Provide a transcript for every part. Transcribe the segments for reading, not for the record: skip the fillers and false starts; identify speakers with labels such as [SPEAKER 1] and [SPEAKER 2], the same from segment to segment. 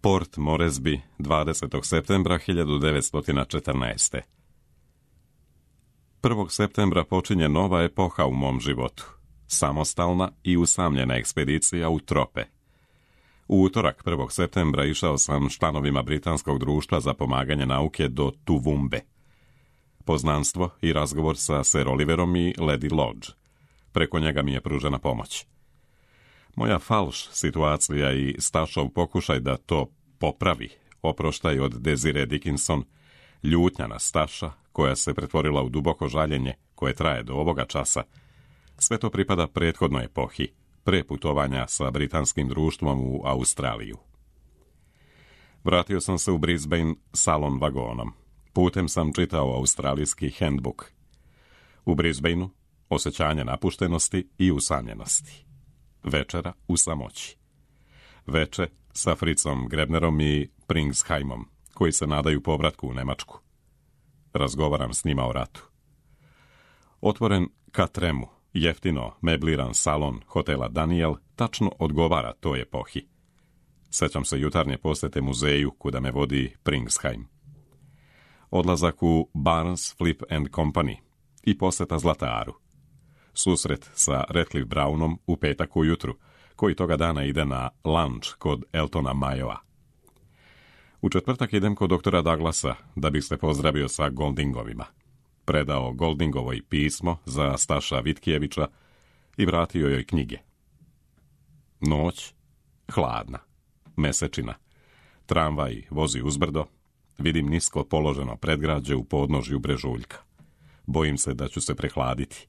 [SPEAKER 1] Port Moresby, 20. septembra 1914. 1. septembra počinje nova epoha u mom životu. Samostalna i usamljena ekspedicija u trope. U utorak 1. septembra išao sam s članovima Britanskog društva za pomaganje nauke do Tuvumbe. Poznanstvo i razgovor sa Sir Oliverom i Lady Lodge. Preko njega mi je pružena pomoć. Moja falš situacija i Stašov pokušaj da to popravi, oproštaj od Desiree Dickinson, ljutnja na Staša, koja se pretvorila u duboko žaljenje koje traje do ovoga časa, sve to pripada prethodnoj epohi, pre putovanja sa britanskim društvom u Australiju. Vratio sam se u Brisbane salon vagonom. Putem sam čitao australijski handbook. U Brisbaneu osjećanje napuštenosti i usamljenosti. Večera u samoći. Veče sa Fritzom Grebnerom i Pringsheimom, koji se nadaju povratku u Nemačku. Razgovaram s njima o ratu. Otvoren ka Tremu, jeftino mebliran salon hotela Daniel tačno odgovara toj epohi. Sećam se jutarnje posjete muzeju kuda me vodi Pringsheim. Odlazak u Barnes, Flip and Company i posjeta Zlataru. Susret sa Radcliffe Brownom u petak ujutru, koji toga dana ide na lunch kod Eltona Mayoa. U četvrtak idem kod doktora Douglasa da bih se pozdravio sa Goldingovima. Predao Goldingovoj pismo za Staša Vitkijevića i vratio joj knjige. Noć, hladna, mesečina. Tramvaj vozi uzbrdo. Vidim nisko položeno predgrađe u podnožju brežuljka. Bojim se da ću se prehladiti.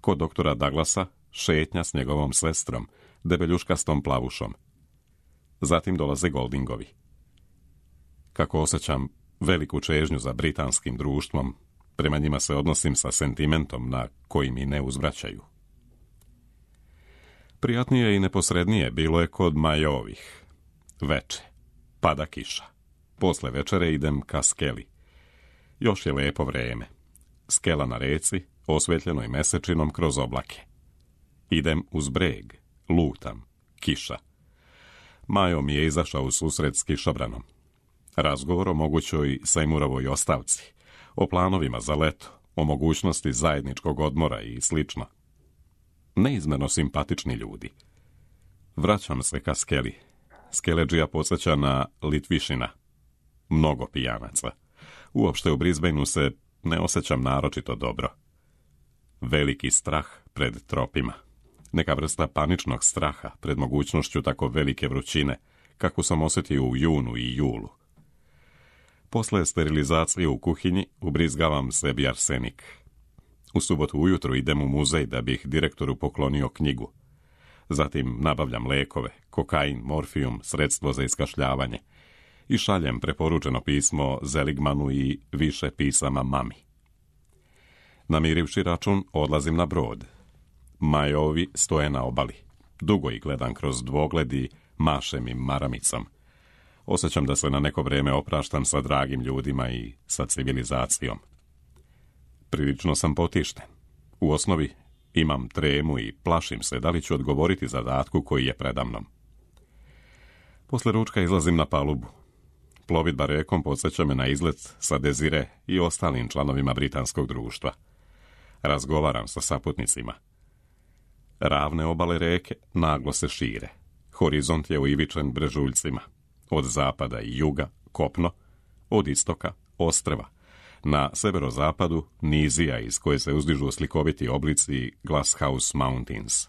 [SPEAKER 1] Kod doktora Douglasa šetnja s njegovom sestrom, debeljuškastom plavušom. Zatim dolaze Goldingovi. Kako osjećam veliku čežnju za britanskim društvom, prema njima se odnosim sa sentimentom na koji mi ne uzvraćaju. Prijatnije i neposrednije bilo je kod Majovih. Veče. Pada kiša. Posle večere idem ka skeli. Još je lepo vreme. Skela na reci, osvetljenoj mesečinom kroz oblake. Idem uz breg. Lutam. Kiša. Majo mi je izašao u susret s kišobranom. Razgovor o mogućoj Seymorovoj ostavci, o planovima za leto, o mogućnosti zajedničkog odmora i slično. Neizmjerno simpatični ljudi. Vraćam se ka skeli. Skeleđija podsjeća na Litvišina. Mnogo pijanaca. Uopšte u Brisbaneu se ne osjećam naročito dobro. Veliki strah pred tropima. Neka vrsta paničnog straha pred mogućnošću tako velike vrućine, kako sam osjetio u junu i julu. Posle sterilizacije u kuhinji ubrizgavam sebi arsenik. U subotu ujutru idem u muzej da bih direktoru poklonio knjigu. Zatim nabavljam lekove, kokain, morfijum, sredstvo za iskašljavanje i šaljem preporučeno pismo Zeligmanu i više pisama mami. Namirivši račun, odlazim na brod. Majovi stoje na obali. Dugo ih gledam kroz dvogled i mašem im maramicom. Osjećam da se na neko vrijeme opraštam sa dragim ljudima i sa civilizacijom. Prilično sam potišten. U osnovi imam tremu i plašim se da li ću odgovoriti zadatku koji je predamnom. Posle ručka izlazim na palubu. Plovidba rekom podsjeća me na izlet sa Desiree i ostalim članovima Britanskog društva. Razgovaram sa saputnicima. Ravne obale reke naglo se šire. Horizont je uivičen brežuljcima. Od zapada i juga kopno, od istoka ostrva. Na severozapadu nizija iz koje se uzdižu slikoviti oblici Glasshouse Mountains.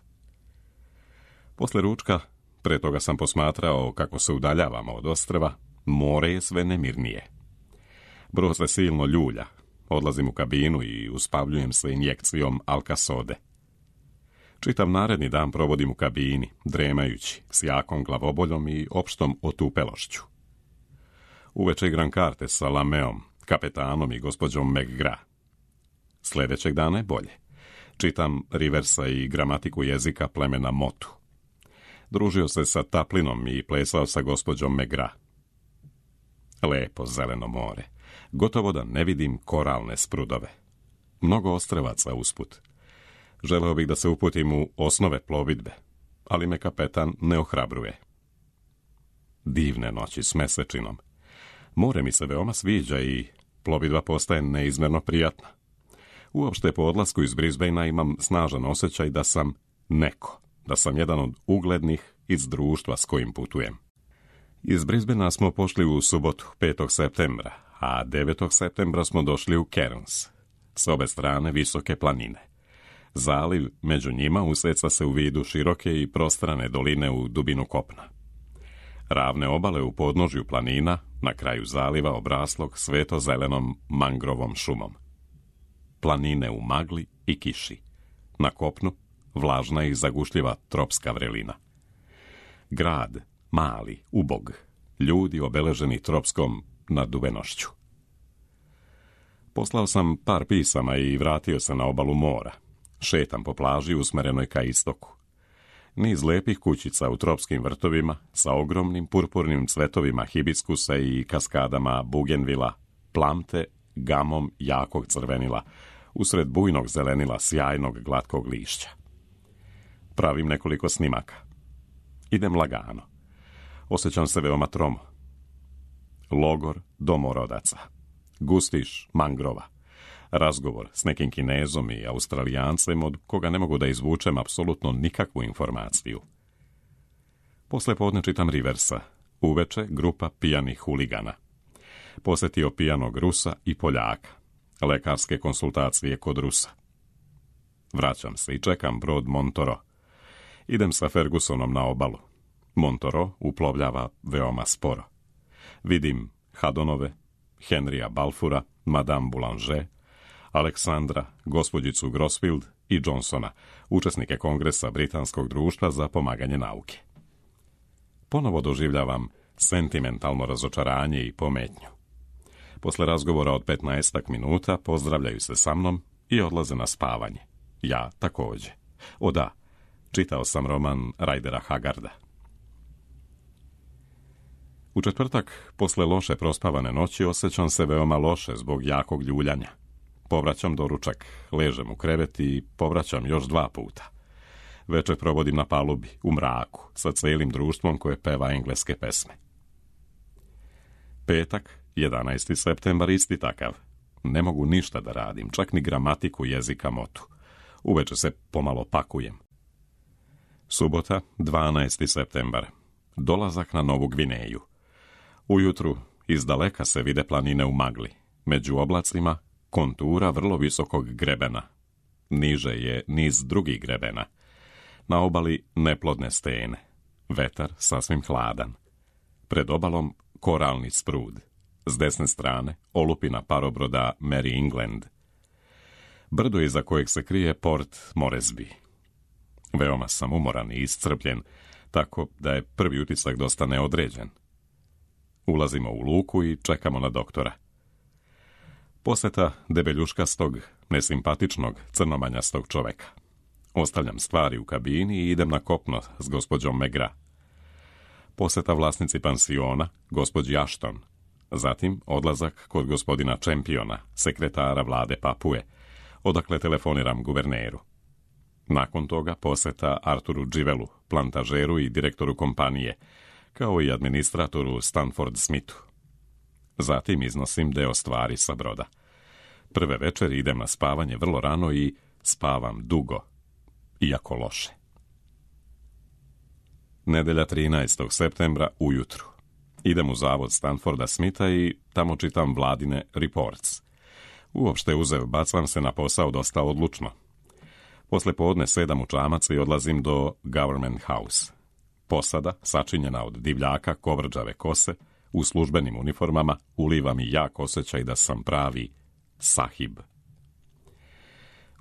[SPEAKER 1] Posle ručka, pre toga sam posmatrao kako se udaljavamo od ostrva, more je sve nemirnije. Brod se silno ljulja. Odlazim u kabinu i uspavljujem se injekcijom Alka-Sode. Čitav naredni dan provodim u kabini, dremajući, s jakom glavoboljom i opštom otupelošću. Uveče igram karte sa Lameom, kapetanom i gospođom McGrath. Sljedećeg dana je bolje. Čitam Riversa i gramatiku jezika plemena Motu. Družio se sa Taplinom i plesao sa gospođom McGrath. Lepo zeleno more. Gotovo da ne vidim koralne sprudove. Mnogo ostrvaca usput. Želeo bih da se uputim u osnove plovidbe, ali me kapetan ne ohrabruje. divne noći s mesečinom. More mi se veoma sviđa i plovidba postaje neizmjerno prijatna. Uopšte po odlasku iz Brisbanea imam snažan osjećaj da sam neko, da sam jedan od uglednih iz društva s kojim putujem. Iz Brisbanea smo pošli u subotu, 5. septembra, a 9. septembra smo došli u Cairns. S obe strane visoke planine. Zaliv među njima useca se u vidu široke i prostrane doline u dubinu kopna. Ravne obale u podnožju planina, na kraju zaliva obraslog sveto-zelenom mangrovom šumom. Planine u magli i kiši. Na kopnu vlažna i zagušljiva tropska vrelina. Grad, mali, ubog, ljudi obeleženi tropskom naduvenošću. Poslao sam par pisama i vratio se na obalu mora. Šetam po plaži usmerenoj ka istoku. Niz lepih kućica u tropskim vrtovima sa ogromnim purpurnim cvetovima hibiskusa i kaskadama bugenvila, plamte gamom jakog crvenila, usred bujnog zelenila sjajnog glatkog lišća. Pravim nekoliko snimaka. Idem lagano. Osjećam se veoma tromo. Logor domorodaca. Gustiš mangrova. Razgovor s nekim Kinezom i Australijancem od koga ne mogu da izvučem apsolutno nikakvu informaciju. Posle podne čitam Riversa. Uveče grupa pijanih huligana. Posjetio pijanog Rusa i Poljaka. Lekarske konsultacije kod Rusa. Vraćam se i čekam brod Montoro. Idem sa Fergusonom na obalu. Montoro uplovljava veoma sporo. Vidim Haddonove, Henrya Balfoura, Madame Boulanger, Aleksandra, gospođicu Grosfield i Johnsona, učesnike Kongresa Britanskog društva za pomaganje nauke. Ponovo doživljavam sentimentalno razočaranje i pometnju. Posle razgovora od 15 minuta pozdravljaju se sa mnom i odlaze na spavanje. Ja također. O da, čitao sam roman Rydera Haggarda. U četvrtak, posle loše prospavane noći, osjećam se veoma loše zbog jakog ljuljanja. Povraćam doručak, ležem u krevet i povraćam još 2 puta. Večer provodim na palubi, u mraku, sa celim društvom koje peva engleske pesme. Petak, 11. septembar, isti takav. Ne mogu ništa da radim, čak ni gramatiku jezika motu. Uveče se pomalo pakujem. Subota, 12. septembar. Dolazak na Novu Gvineju. Ujutru izdaleka se vide planine u magli. Među oblacima kontura vrlo visokog grebena. Niže je niz drugih grebena. Na obali neplodne stene. Vetar sasvim hladan. Pred obalom koralni sprud. S desne strane olupina parobroda Mary England. Brdo iza kojeg se krije Port Moresby. Veoma sam umoran i iscrpljen, tako da je prvi utisak dosta neodređen. Ulazimo u luku i čekamo na doktora. Poseta debeljuškastog, nesimpatičnog, crnomanjastog čoveka. Ostavljam stvari u kabini i idem na kopno s gospođom Megra. Poseta vlasnici pansiona, gospođi Ashton. Zatim odlazak kod gospodina Championa, sekretara vlade Papue, odakle telefoniram guverneru. Nakon toga poseta Arturu Givelu, plantažeru i direktoru kompanije, kao i administratoru Stanford Smithu. Zatim iznosim deo stvari sa broda. Prve večeri idem na spavanje vrlo rano i spavam dugo, iako loše. Nedelja 13. septembra ujutru. Idem u zavod Stanforda Smitha i tamo čitam vladine reports. Uopšte bacam se na posao dosta odlučno. Posle podne sedam u čamac i odlazim do Government House. Posada, sačinjena od divljaka kovrđave kose, u službenim uniformama, uliva mi jak osjećaj da sam pravi sahib.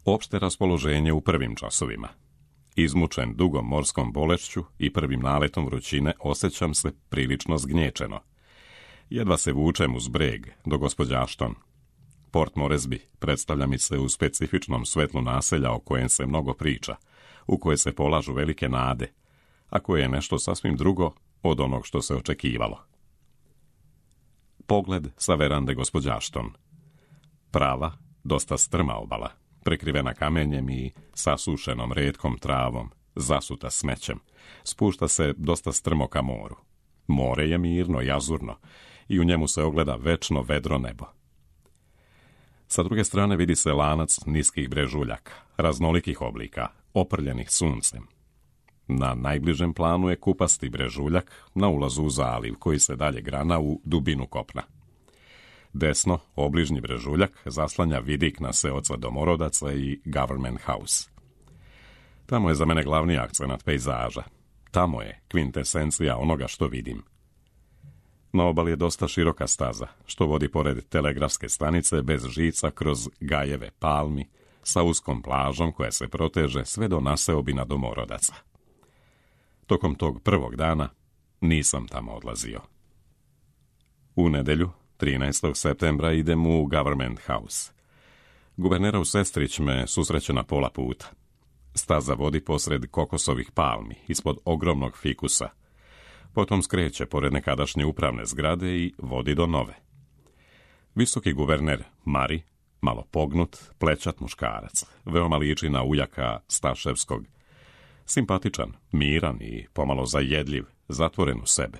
[SPEAKER 1] Opšte raspoloženje u prvim časovima. Izmučen dugom morskom bolešću i prvim naletom vrućine osjećam se prilično zgnječeno. Jedva se vučem uz breg do gospođa Ashton. Port Moresby predstavlja mi se u specifičnom svetlu naselja o kojem se mnogo priča, u koje se polažu velike nade, a koje je nešto sasvim drugo od onog što se očekivalo. Pogled sa verande gospođa Ashton. Prava, dosta strma obala, prekrivena kamenjem i sasušenom retkom travom, zasuta smećem, spušta se dosta strmo ka moru. More je mirno i azurno i u njemu se ogleda večno vedro nebo. Sa druge strane vidi se lanac niskih brežuljaka, raznolikih oblika, oprljenih suncem. Na najbližem planu je kupasti brežuljak na ulazu u zaliv, koji se dalje grana u dubinu kopna. Desno, obližnji brežuljak zaslanja vidik na seoca Domorodaca i Government House. Tamo je za mene glavni akcenat pejzaža. Tamo je kvintesencija onoga što vidim. Na obali je dosta široka staza, što vodi pored telegrafske stanice bez žica kroz gajeve palmi, sa uskom plažom koja se proteže sve do naseobina Domorodaca. Tokom tog prvog dana nisam tamo odlazio. U nedjelju, 13. septembra, idem u Government House. Guvernerov sestrić me susreće na pola puta. Staza vodi posred kokosovih palmi, ispod ogromnog fikusa. Potom skreće pored nekadašnje upravne zgrade i vodi do nove. Visoki guverner Mari, malo pognut, plečat muškarac, veoma liči na ujaka Staševskog. Simpatičan, miran i pomalo zajedljiv, zatvoren u sebe.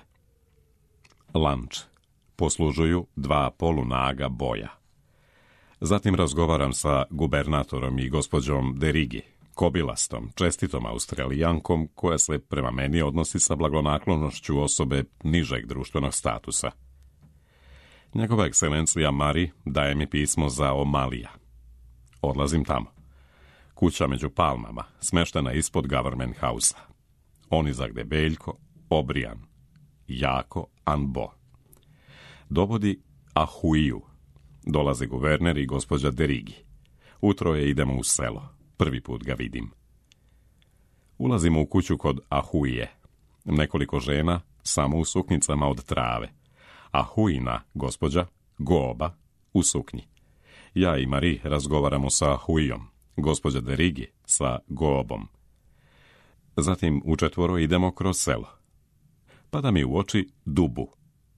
[SPEAKER 1] Lanč. Poslužuju 2 polunaga boja. Zatim razgovaram sa gubernatorom i gospođom Derigi, kobilastom, čestitom Australijankom koja se prema meni odnosi sa blagonaklonošću osobe nižeg društvenog statusa. Njegova ekscelencija Mari daje mi pismo za Omalija. Odlazim tamo. Kuća među palmama, smeštena ispod Government House-a. Onizak debeljko, obrijan, jako anbo. Dovodi Ahuiju. Dolaze guverner i gospođa Derigi. Utroje idemo u selo. Prvi put ga vidim. Ulazimo u kuću kod Ahuije. Nekoliko žena, samo u suknjicama od trave. Ahuina, gospođa, Goba, u suknji. Ja i Mari razgovaramo sa Ahuijom, gospođa Derigi sa Gobom. Zatim u 4 idemo kroz selo. Pada mi u oči Dubu,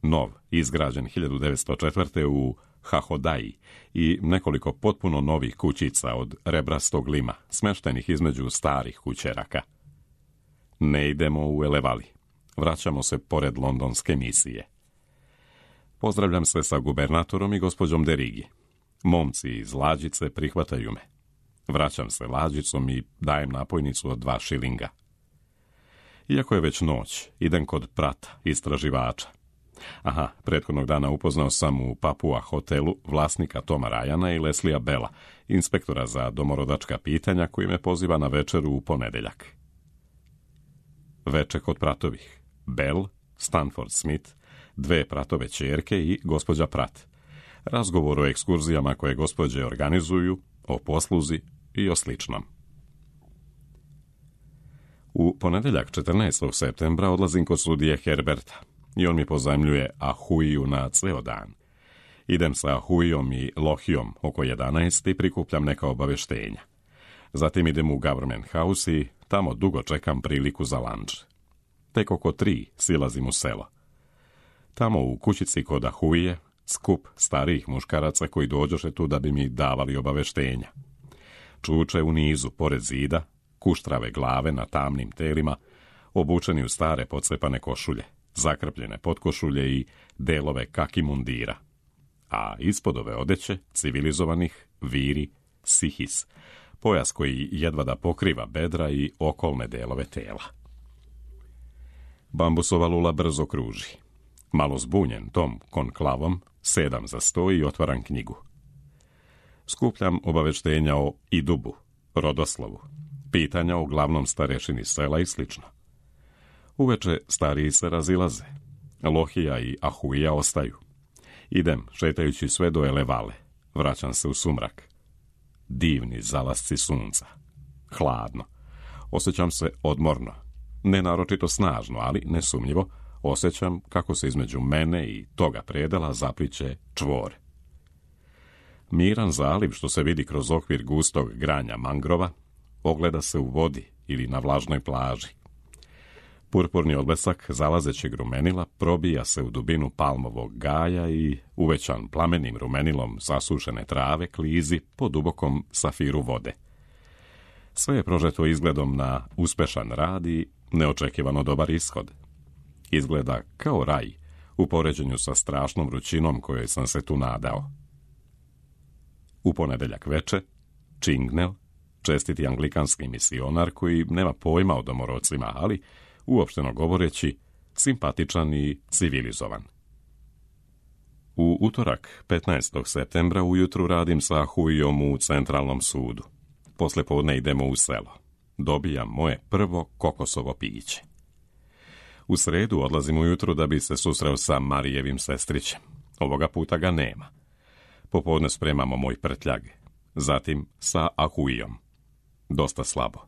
[SPEAKER 1] nov, izgrađen 1904. u Hahodaji i nekoliko potpuno novih kućica od rebrastog lima, smeštenih između starih kućeraka. Ne idemo u Elevali. Vraćamo se pored londonske misije. Pozdravljam se sa gubernatorom i gospođom Derigi. Momci iz lađice prihvataju me. Vraćam se lađicom i dajem napojnicu od 2 šilinga. Iako je već noć, idem kod Prata, istraživača. Prethodnog dana upoznao sam u Papua hotelu vlasnika Toma Ryana i Leslija Bella, inspektora za domorodačka pitanja, koji me poziva na večeru u ponedjeljak. Veče kod Pratovih. Bell, Stanford Smith, 2 Pratove ćerke i gospođa Prat. Razgovor o ekskurzijama koje gospođe organizuju, o posluzi i o sličnom. U ponedjeljak 14. septembra odlazim kod sudije Herberta i on mi pozajmljuje Ahuiju na ceo dan. Idem sa Ahuijom i Lohijom oko 11 i prikupljam neka obaveštenja. Zatim idem u Government House i tamo dugo čekam priliku za lanč. Tek oko 3 silazim u selo. Tamo u kućici kod Ahuije skup starijih muškaraca koji dođoše tu da bi mi davali obaveštenja. Čuče u nizu pored zida, kuštrave glave na tamnim telima, obučeni u stare pocepane košulje, zakrpljene potkošulje i delove kaki mundira. A ispod ove odeće, civilizovanih, viri sihis, pojas koji jedva da pokriva bedra i okolne delove tela. Bambusova lula brzo kruži. Malo zbunjen tom konklavom, sedam za sto i otvaram knjigu. Skupljam obaveštenja o Idubu, rodoslovu, pitanja o glavnom starešini sela i slično. Uveče stariji se razilaze. Lohija i Ahuija ostaju. Idem, šetajući sve do Elevale. Vraćam se u sumrak. Divni zalasci sunca. Hladno. Osjećam se odmorno. Ne naročito snažno, ali nesumnjivo osjećam kako se između mene i toga predela zapliće čvor. Miran zaliv što se vidi kroz okvir gustog granja mangrova ogleda se u vodi ili na vlažnoj plaži. Purpurni odlesak zalazećeg rumenila probija se u dubinu palmovog gaja i uvećan plamenim rumenilom zasušene trave klizi po dubokom safiru vode. Sve je prožeto izgledom na uspešan rad i neočekivano dobar ishod. Izgleda kao raj u poređenju sa strašnom vrućinom kojoj sam se tu nadao. U ponedjeljak veče, Čingnel, čestiti anglikanski misionar koji nema pojma o domorodcima, ali, uopšteno govoreći, simpatičan i civilizovan. U utorak, 15. septembra, ujutru radim sa Huijom u centralnom sudu. Poslijepodne idemo u selo. Dobijam moje prvo kokosovo piće. U sredu odlazim ujutru da bi se susreo sa Marijevim sestrićem. Ovoga puta ga nema. Popodne spremamo moj prtljag. Zatim sa Ahuijom. Dosta slabo.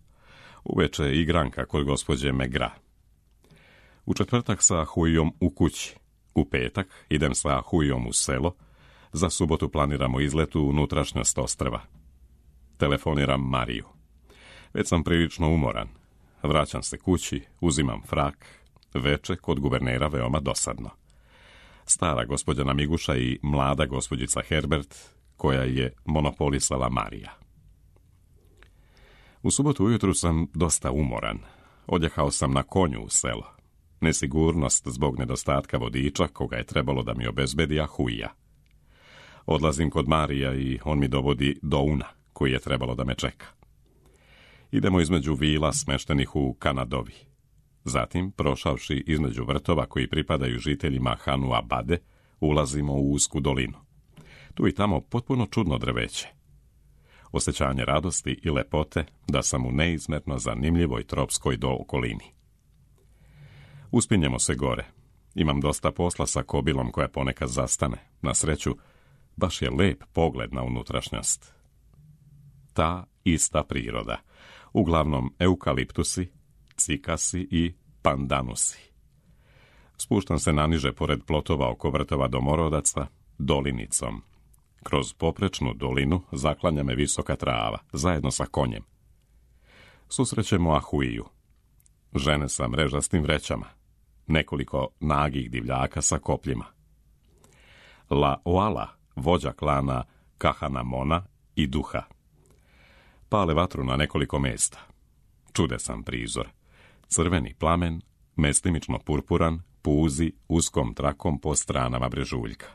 [SPEAKER 1] Uveče igranka kod gospođe Megra. U četvrtak sa Ahuijom u kući. U petak idem sa Ahuijom u selo. Za subotu planiramo izlet u unutrašnjost ostrva. Telefoniram Mariju. Već sam prilično umoran. Vraćam se kući, uzimam frak. Veče kod guvernera veoma dosadno. Stara gospođa Namiguša i mlada gospođica Herbert, koja je monopolisala Marija. U subotu ujutru sam dosta umoran. Odjehao sam na konju u selo. Nesigurnost zbog nedostatka vodiča koga je trebalo da mi obezbedi Ahuija. Odlazim kod Marija i on mi dovodi do Una, koji je trebalo da me čeka. Idemo između vila smeštenih u Kanadovi. Zatim, prošavši između vrtova koji pripadaju žiteljima Hanua Bade, ulazimo u usku dolinu. Tu i tamo potpuno čudno drveće. Osjećanje radosti i lepote da sam u neizmjerno zanimljivoj tropskoj okolini. Uspinjemo se gore. Imam dosta posla sa kobilom koja ponekad zastane. Na sreću, baš je lep pogled na unutrašnjost. Ta ista priroda. Uglavnom eukaliptusi, cikasi i pandanusi. Spuštam se naniže pored plotova oko vrtova domorodaca, dolinicom. Kroz poprečnu dolinu zaklanja me visoka trava, zajedno sa konjem. Susrećemo Ahuiju. Žene sa mrežastim vrećama. Nekoliko nagih divljaka sa kopljima. La Oala, vođa klana Kahanamona i Duha. Pale vatru na nekoliko mjesta. Čudesan prizor. Crveni plamen, mestimično purpuran, puzi uskom trakom po stranama brežuljka.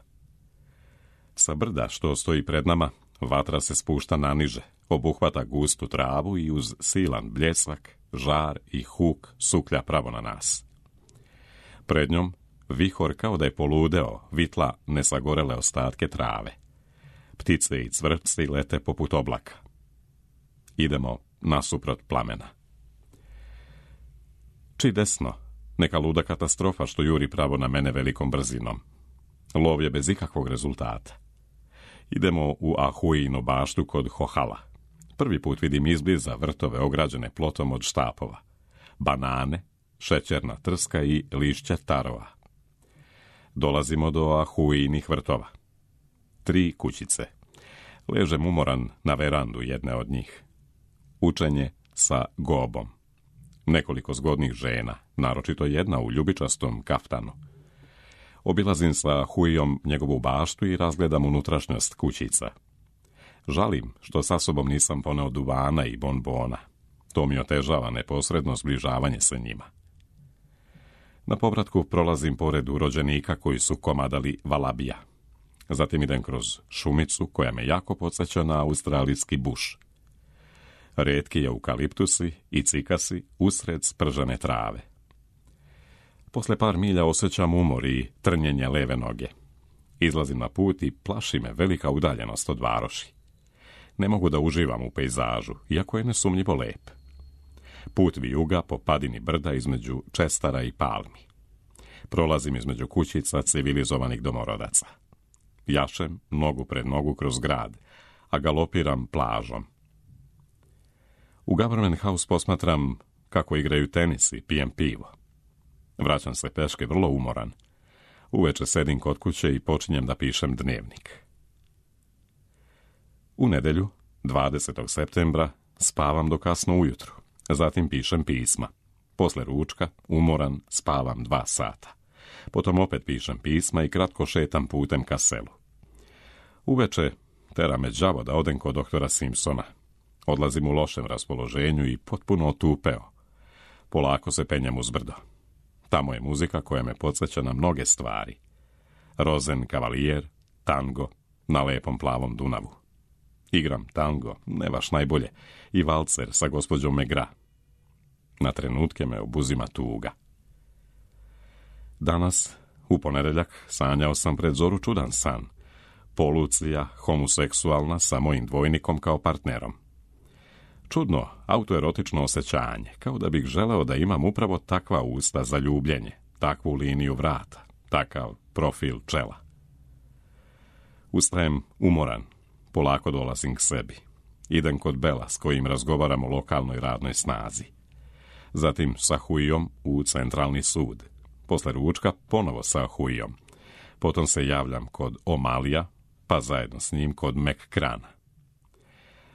[SPEAKER 1] Sa brda što stoji pred nama, vatra se spušta naniže, obuhvata gustu travu i uz silan bljesak, žar i huk suklja pravo na nas. Pred njom, vihor kao da je poludeo, vitla nesagorele ostatke trave. Ptice i cvrčci lete poput oblaka. Idemo nasuprot plamena. Či desno, neka luda katastrofa što juri pravo na mene velikom brzinom. Lov je bez ikakvog rezultata. Idemo u Ahuijinu baštu kod Hohala. Prvi put vidim izbliza vrtove ograđene plotom od štapova. Banane, šećerna trska i lišća tarova. Dolazimo do Ahuijinih vrtova. 3 kućice. Ležem umoran na verandu jedne od njih. Učenje sa gobom. Nekoliko zgodnih žena, naročito jedna u ljubičastom kaftanu. Obilazim sa Huijom njegovu baštu i razgledam unutrašnjost kućica. Žalim što sa sobom nisam poneo duvana i bonbona. To mi otežava neposredno zbližavanje sa njima. Na povratku prolazim pored urođenika koji su komadali valabija. Zatim idem kroz šumicu koja me jako podsjeća na australijski buš. Retki eukaliptusi i cikasi usred spržene trave. Posle par milja osjećam umor i trnjenje leve noge. Izlazim na put i plaši me velika udaljenost od varoši. Ne mogu da uživam u pejzažu, iako je nesumnjivo lep. Put vijuga po padini brda između čestara i palmi. Prolazim između kućica civilizovanih domorodaca. Jašem nogu pred nogu kroz grad, a galopiram plažom. U Government House posmatram kako igraju tenis i pijem pivo. Vraćam se peške vrlo umoran. Uveče sedim kod kuće i počinjem da pišem dnevnik. U nedjelju, 20. septembra, spavam do kasno ujutru. Zatim pišem pisma. Posle ručka, umoran, spavam 2 sata. Potom opet pišem pisma i kratko šetam putem ka selu. Uveče tera me đavo da odem kod doktora Simpsona. Odlazim u lošem raspoloženju i potpuno otupeo. Polako se penjem uz brdo. Tamo je muzika koja me podsjeća na mnoge stvari. Rozen kavalijer, tango, na lepom plavom Dunavu. Igram tango, ne baš najbolje, i valcer sa gospođom Megra. Na trenutke me obuzima tuga. Danas, u ponedjeljak, sanjao sam pred zoru čudan san. Polucija, homoseksualna, sa mojim dvojnikom kao partnerom. Čudno, autoerotično osjećanje, kao da bih želeo da imam upravo takva usta za ljubljenje, takvu liniju vrata, takav profil čela. Ustajem umoran, polako dolazim k sebi. Idem kod Bela s kojim razgovaram o lokalnoj radnoj snazi. Zatim sa Huijom u centralni sud. Posle ručka ponovo sa Huijom. Potom se javljam kod Omalija, pa zajedno s njim kod Mekkrana.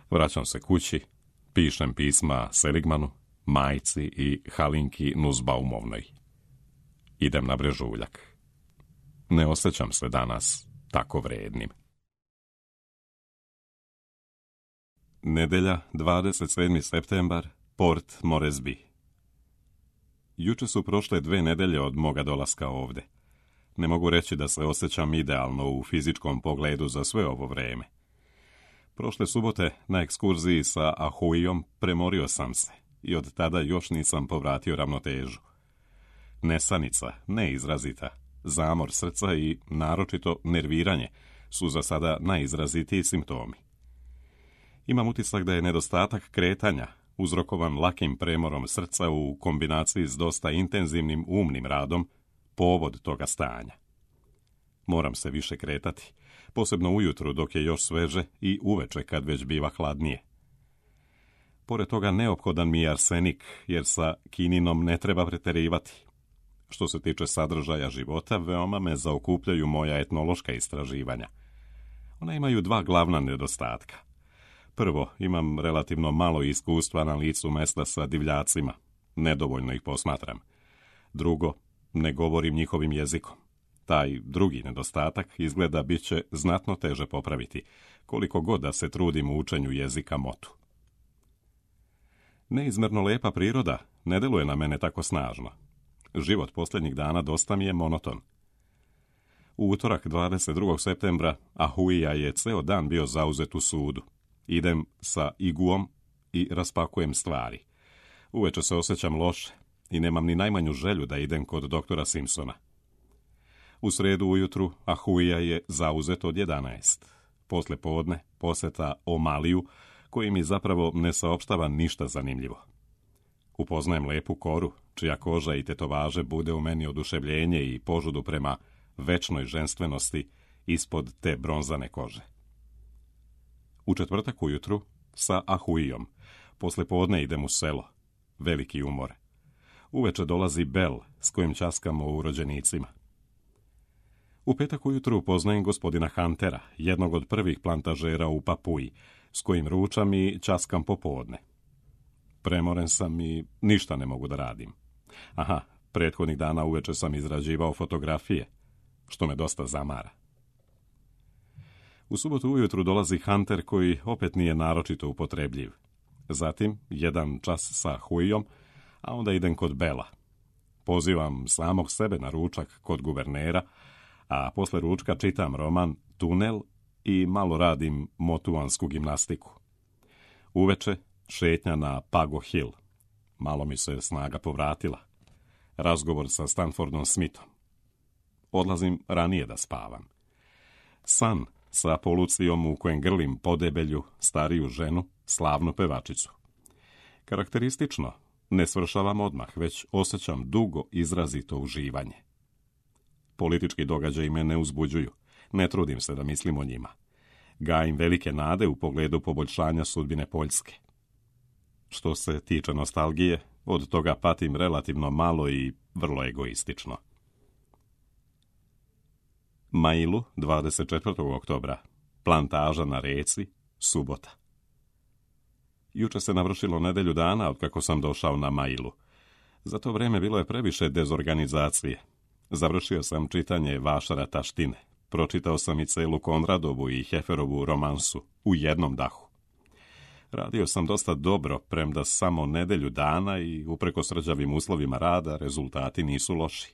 [SPEAKER 1] Vraćam se kući, pišem pisma Seligmanu, majci i Halinki Nuzbaumovnoj. Idem na brežuljak. Ne osjećam se danas tako vrednim. Nedelja, 27. septembar, Port Moresby. Juče su prošle 2 nedelje od moga dolaska ovde. Ne mogu reći da se osjećam idealno u fizičkom pogledu za sve ovo vreme. Prošle subote na ekskurziji sa Ahuijom premorio sam se i od tada još nisam povratio ravnotežu. Nesanica, neizrazita, zamor srca i naročito nerviranje su za sada najizrazitiji simptomi. Imam utisak da je nedostatak kretanja uzrokovan lakim premorom srca u kombinaciji s dosta intenzivnim umnim radom povod toga stanja. Moram se više kretati, posebno ujutru dok je još sveže i uveče kad već biva hladnije. Pored toga neophodan mi je arsenik, jer sa kininom ne treba preterivati. Što se tiče sadržaja života, veoma me zaokupljaju moja etnološka istraživanja. Ona imaju 2 glavna nedostatka. Prvo, imam relativno malo iskustva na licu mesta sa divljacima. Nedovoljno ih posmatram. Drugo, ne govorim njihovim jezikom. Taj drugi nedostatak izgleda bit će znatno teže popraviti, koliko god da se trudim u učenju jezika motu. Neizmjerno lepa priroda ne deluje na mene tako snažno. Život posljednjih dana dosta mi je monoton. U utorak 22. septembra Ahuija je ceo dan bio zauzet u sudu. Idem sa iguom i raspakujem stvari. Uveče se osjećam loše i nemam ni najmanju želju da idem kod doktora Simpsona. U sredu ujutru Ahuija je zauzet od 11. Posle podne poseta Omaliju, koji mi zapravo ne saopštava ništa zanimljivo. Upoznajem lepu koru, čija koža i tetovaže bude u meni oduševljenje i požudu prema večnoj ženstvenosti ispod te bronzane kože. U četvrtak ujutru sa Ahuijom. Posle podne idem u selo. Veliki umor. Uveče dolazi Bel s kojim ćaskamo u rođenicima. U petak ujutru upoznajem gospodina Huntera, jednog od prvih plantažera u Papuji, s kojim ručam i ćaskam popodne. Premoren sam i ništa ne mogu da radim. Aha, prethodnih dana uveče sam izrađivao fotografije, što me dosta zamara. U subotu ujutru dolazi Hunter koji opet nije naročito upotrebljiv. Zatim, 1 čas sa Huijom, a onda idem kod Bela. Pozivam samog sebe na ručak kod guvernera, a posle ručka čitam roman Tunel i malo radim motuansku gimnastiku. Uveče šetnja na Pago Hill. Malo mi se snaga povratila. Razgovor sa Stanfordom Smithom. Odlazim ranije da spavam. San sa Polucijom u kojem grlim podebelju, stariju ženu, slavnu pevačicu. Karakteristično, ne svršavam odmah, već osjećam dugo izrazito uživanje. Politički događaji me ne uzbuđuju, ne trudim se da mislim o njima. Gajim velike nade u pogledu poboljšanja sudbine Poljske. Što se tiče nostalgije, od toga patim relativno malo i vrlo egoistično. Mailu, 24. oktobra. Plantaža na reci, subota. Juče se navršilo nedelju dana od kako sam došao na Mailu. Za to vreme bilo je previše dezorganizacije. Završio sam čitanje Vašara Taštine. Pročitao sam i celu Konradovu i Heferovu romansu u jednom dahu. Radio sam dosta dobro, premda samo nedelju dana i uprkos rđavim uslovima rada rezultati nisu loši.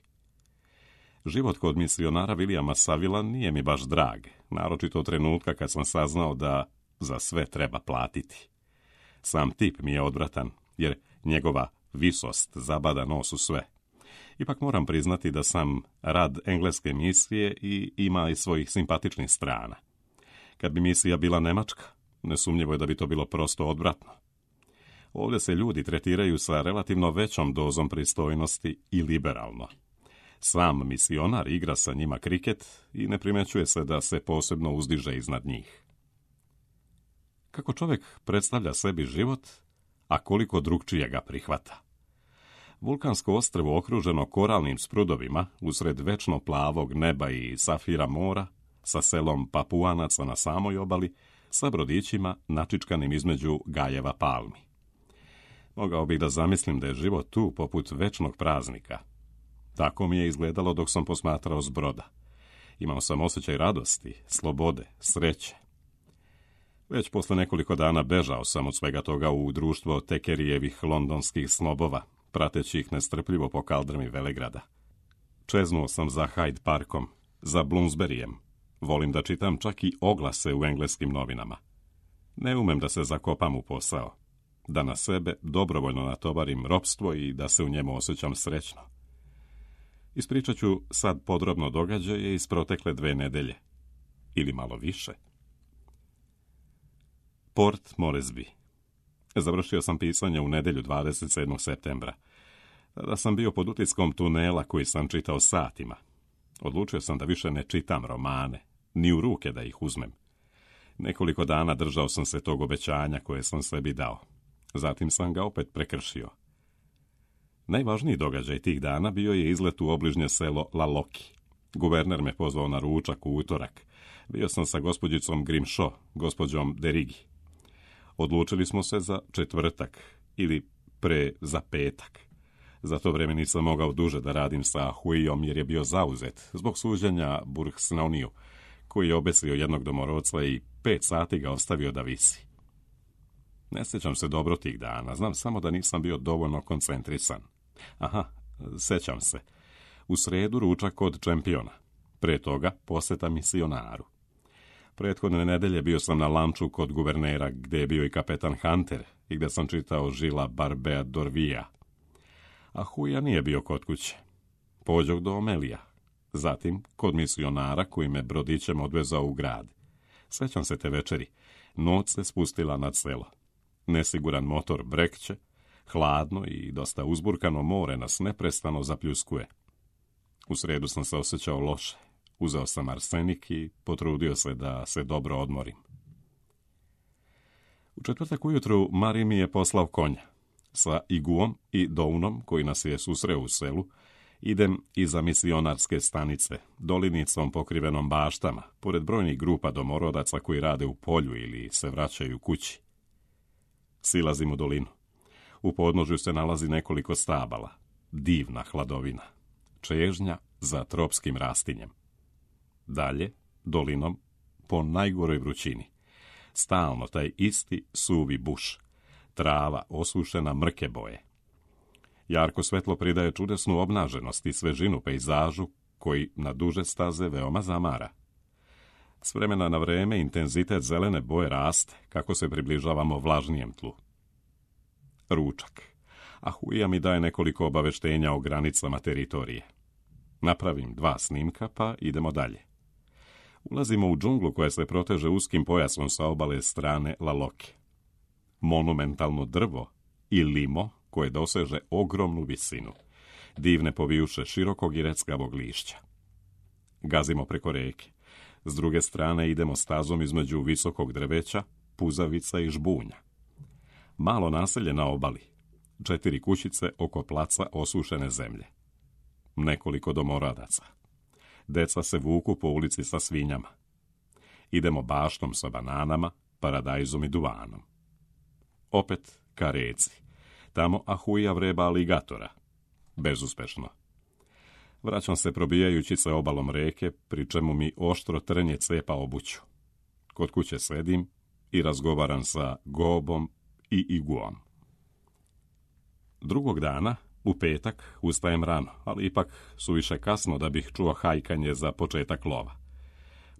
[SPEAKER 1] Život kod misionara Williama Savila nije mi baš drag, naročito od trenutka kad sam saznao da za sve treba platiti. Sam tip mi je odvratan, jer njegova visost zabada nos u sve. Ipak moram priznati da sam rad engleske misije i ima i svojih simpatičnih strana. Kad bi misija bila nemačka, nesumnjivo je da bi to bilo prosto odvratno. Ovdje se ljudi tretiraju sa relativno većom dozom pristojnosti i liberalno. Sam misionar igra sa njima kriket i ne primećuje se da se posebno uzdiže iznad njih. Kako čovjek predstavlja sebi život, a koliko drugčije ga prihvata. Vulkansko ostrvo okruženo koralnim sprudovima usred večno plavog neba i safira mora, sa selom Papuanaca na samoj obali, sa brodićima načičkanim između gajeva palmi. Mogao bih da zamislim da je život tu poput večnog praznika. Tako mi je izgledalo dok sam posmatrao s broda. Imao sam osjećaj radosti, slobode, sreće. Već posle nekoliko dana bežao sam od svega toga u društvo Tekerijevih londonskih snobova, prateći ih nestrpljivo po kaldrmi Velegrada. Čeznuo sam za Hyde Parkom, za Bloomsburyjem. Volim da čitam čak i oglase u engleskim novinama. Ne umem da se zakopam u posao, da na sebe dobrovoljno natovarim ropstvo i da se u njemu osjećam srećno. Ispričat ću sad podrobno događaje iz protekle 2 nedelje. Ili malo više. Port Moresby. Završio sam pisanje u nedjelju 27. septembra. Tada sam bio pod utiskom tunela koji sam čitao satima. Odlučio sam da više ne čitam romane, ni u ruke da ih uzmem. Nekoliko dana držao sam se tog obećanja koje sam sebi dao. Zatim sam ga opet prekršio. Najvažniji događaj tih dana bio je izlet u obližnje selo Laloki. Guverner me pozvao na ručak u utorak. Bio sam sa gospođicom Grimshaw, gospođom Derigi. Odlučili smo se za četvrtak ili za petak. Za to vrijeme nisam mogao duže da radim sa Huijom jer je bio zauzet zbog suđenja Burgsnauniju, koji je obesio jednog domorodca i 5 sati ga ostavio da visi. Ne sjećam se dobro tih dana, znam samo da nisam bio dovoljno koncentrisan. Aha, sjećam se. U sredu ručak kod Čempiona. Pre toga posjeta misionaru. Prethodne nedelje bio sam na lanču kod guvernera, gdje je bio i kapetan Hunter i gdje sam čitao Žila Barbea Dorvija. A Huja nije bio kod kuće. Pođoh do Omelija. Zatim kod misionara koji me brodićem odvezao u grad. Sjećam se te večeri. Noć se spustila nad selo. Nesiguran motor brekće, hladno i dosta uzburkano more nas neprestano zapljuskuje. U sredu sam se osjećao loše. Uzeo sam arsenik i potrudio se da se dobro odmorim. U četvrtak ujutru Mari mi je poslao konja. Sa Iguom i Dounom, koji nas je susreo u selu, idem iza misionarske stanice, dolinicom pokrivenom baštama, pored brojnih grupa domorodaca koji rade u polju ili se vraćaju kući. Silazim u dolinu. U podnožju se nalazi nekoliko stabala. Divna hladovina. Čežnja za tropskim rastinjem. Dalje, dolinom, po najgoroj vrućini. Stalno taj isti suvi buš. Trava osušena mrke boje. Jarko svetlo pridaje čudesnu obnaženost i svežinu pejzažu koji na duže staze veoma zamara. S vremena na vreme intenzitet zelene boje raste kako se približavamo vlažnijem tlu. Ručak. A Huija mi daje nekoliko obaveštenja o granicama teritorije. Napravim 2 snimka pa idemo dalje. Ulazimo u džunglu koja se proteže uskim pojasom sa obale strane Laloke. Monumentalno drvo i limo koje doseže ogromnu visinu. Divne povijuše širokog i reckavog lišća. Gazimo preko reke. S druge strane idemo stazom između visokog drveća, puzavica i žbunja. Malo naselje na obali. 4 kućice oko placa osušene zemlje. Nekoliko domoradaca. Deca se vuku po ulici sa svinjama. Idemo baštom sa bananama, paradajzom i duvanom. Opet ka reci. Tamo Ahuja vreba aligatora. Bezuspešno. Vraćam se probijajući se obalom reke, pri čemu mi oštro trnje cepa obuću. Kod kuće sedim i razgovaram sa Gobom i Iguom. Drugog dana, u petak, ustajem rano, ali ipak suviše kasno da bih čuo hajkanje za početak lova.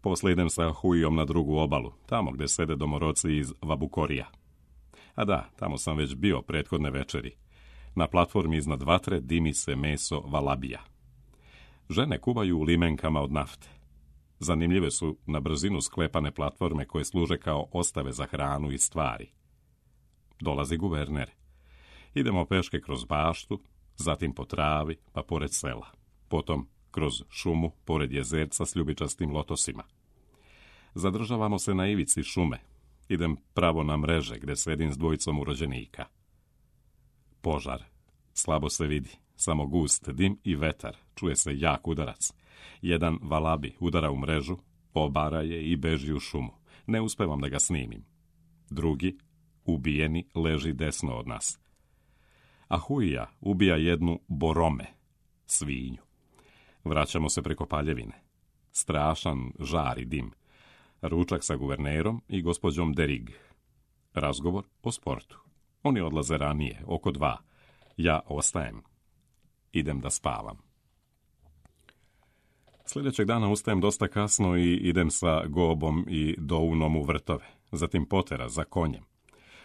[SPEAKER 1] Poslije idem sa Huijom na drugu obalu, tamo gdje sede domoroci iz Vabukorija. A da, tamo sam već bio prethodne večeri. Na platformi iznad vatre dimi se meso valabija. Žene kuvaju u limenkama od nafte. Zanimljive su na brzinu sklepane platforme koje služe kao ostave za hranu i stvari. Dolazi guverner. Idemo peške kroz baštu, zatim po travi, pa pored sela. Potom kroz šumu, pored jezerca s ljubičastim lotosima. Zadržavamo se na ivici šume. Idem pravo na mreže, gdje sedim s dvojicom urođenika. Požar. Slabo se vidi. Samo gust dim i vetar. Čuje se jak udarac. Jedan valabi udara u mrežu, obara je i beži u šumu. Ne uspevam da ga snimim. Drugi, ubijeni, leži desno od nas. A Huija ubija jednu borome, svinju. Vraćamo se preko paljevine. Strašan žar i dim. Ručak sa guvernerom i gospođom Derig. Razgovor o sportu. Oni odlaze ranije, oko 2. Ja ostajem. Idem da spavam. Sljedećeg dana ustajem dosta kasno i idem sa Gobom i Dounom u vrtove, zatim potera za konjem.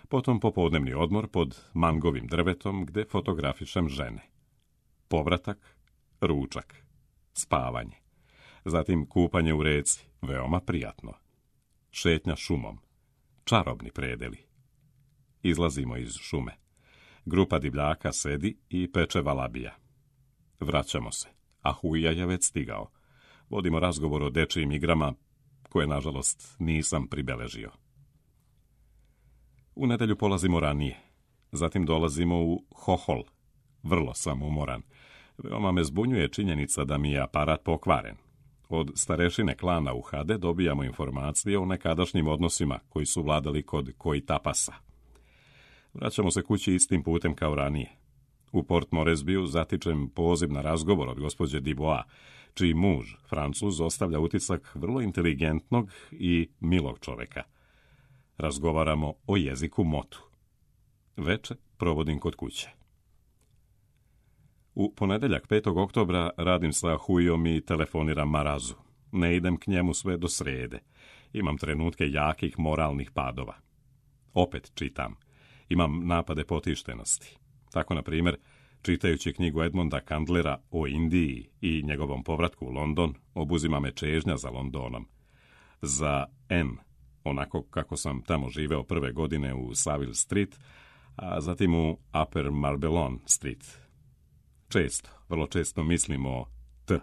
[SPEAKER 1] Potom popodnevni odmor pod mangovim drvetom gdje fotografišem žene. Povratak, ručak, spavanje. Zatim kupanje u reci, veoma prijatno. Šetnja šumom, čarobni predeli. Izlazimo iz šume. Grupa divljaka sedi i peče valabija. Vraćamo se, a Huija je već stigao. Vodimo razgovor o dečijim igrama, koje, nažalost, nisam pribeležio. U nedjelju polazimo ranije. Zatim dolazimo u Hohol. Vrlo sam umoran. Veoma me zbunjuje činjenica da mi je aparat pokvaren. Od starešine klana Uhade dobijamo informacije o nekadašnjim odnosima koji su vladali kod Koitapasa. Vraćamo se kući istim putem kao ranije. U Port Moresbiju zatičem poziv na razgovor od gospođe Dubois, čiji muž, Francuz, ostavlja utisak vrlo inteligentnog i milog čoveka. Razgovaramo o jeziku motu. Veče provodim kod kuće. U ponedjeljak 5. oktobra radim sa Huijom i telefoniram Marazu. Ne idem k njemu sve do srede. Imam trenutke jakih moralnih padova. Opet čitam. Imam napade potištenosti. Tako, na primjer, čitajući knjigu Edmonda Candlera o Indiji i njegovom povratku u London, obuzima me čežnja za Londonom. Za N, onako kako sam tamo živeo prve godine u Savile Street, a zatim u Upper Marbellon Street. Vrlo često mislim o T.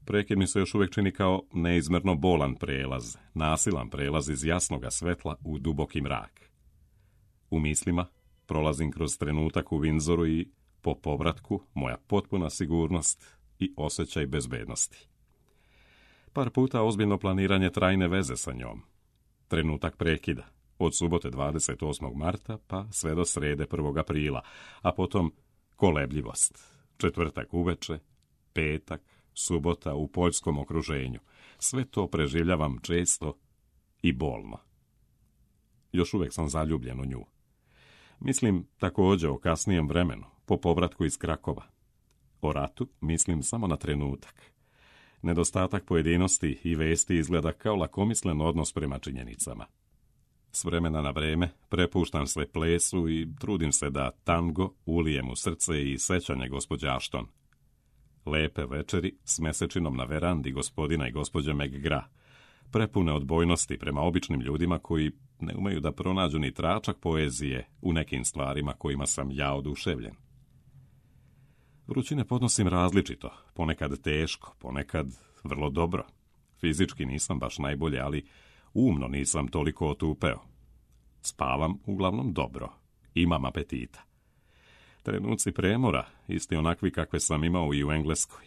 [SPEAKER 1] Prekid mi se još uvijek čini kao neizmjerno bolan prelaz, nasilan prelaz iz jasnoga svetla u duboki mrak. U mislima prolazim kroz trenutak u Windsoru i po povratku moja potpuna sigurnost i osjećaj bezbednosti. Par puta ozbiljno planiranje trajne veze sa njom. Trenutak prekida, od subote 28. marta pa sve do srede 1. aprila, a potom kolebljivost, četvrtak uveče, petak, subota u poljskom okruženju. Sve to preživljavam često i bolno. Još uvijek sam zaljubljen u nju. Mislim također o kasnijem vremenu, po povratku iz Krakova. O ratu mislim samo na trenutak. Nedostatak pojedinosti i vesti izgleda kao lakomislen odnos prema činjenicama. S vremena na vreme prepuštam se plesu i trudim se da tango ulijem u srce i sećanje gospođe Ashton. Lepe večeri s mesečinom na verandi gospodina i gospođe McGrath, prepune odbojnosti prema običnim ljudima koji ne umeju da pronađu ni tračak poezije u nekim stvarima kojima sam ja oduševljen. Vrućine podnosim različito, ponekad teško, ponekad vrlo dobro. Fizički nisam baš najbolje, ali umno nisam toliko otupeo. Spavam uglavnom dobro, imam apetita. Trenuci premora, isti onakvi kakve sam imao i u Engleskoj.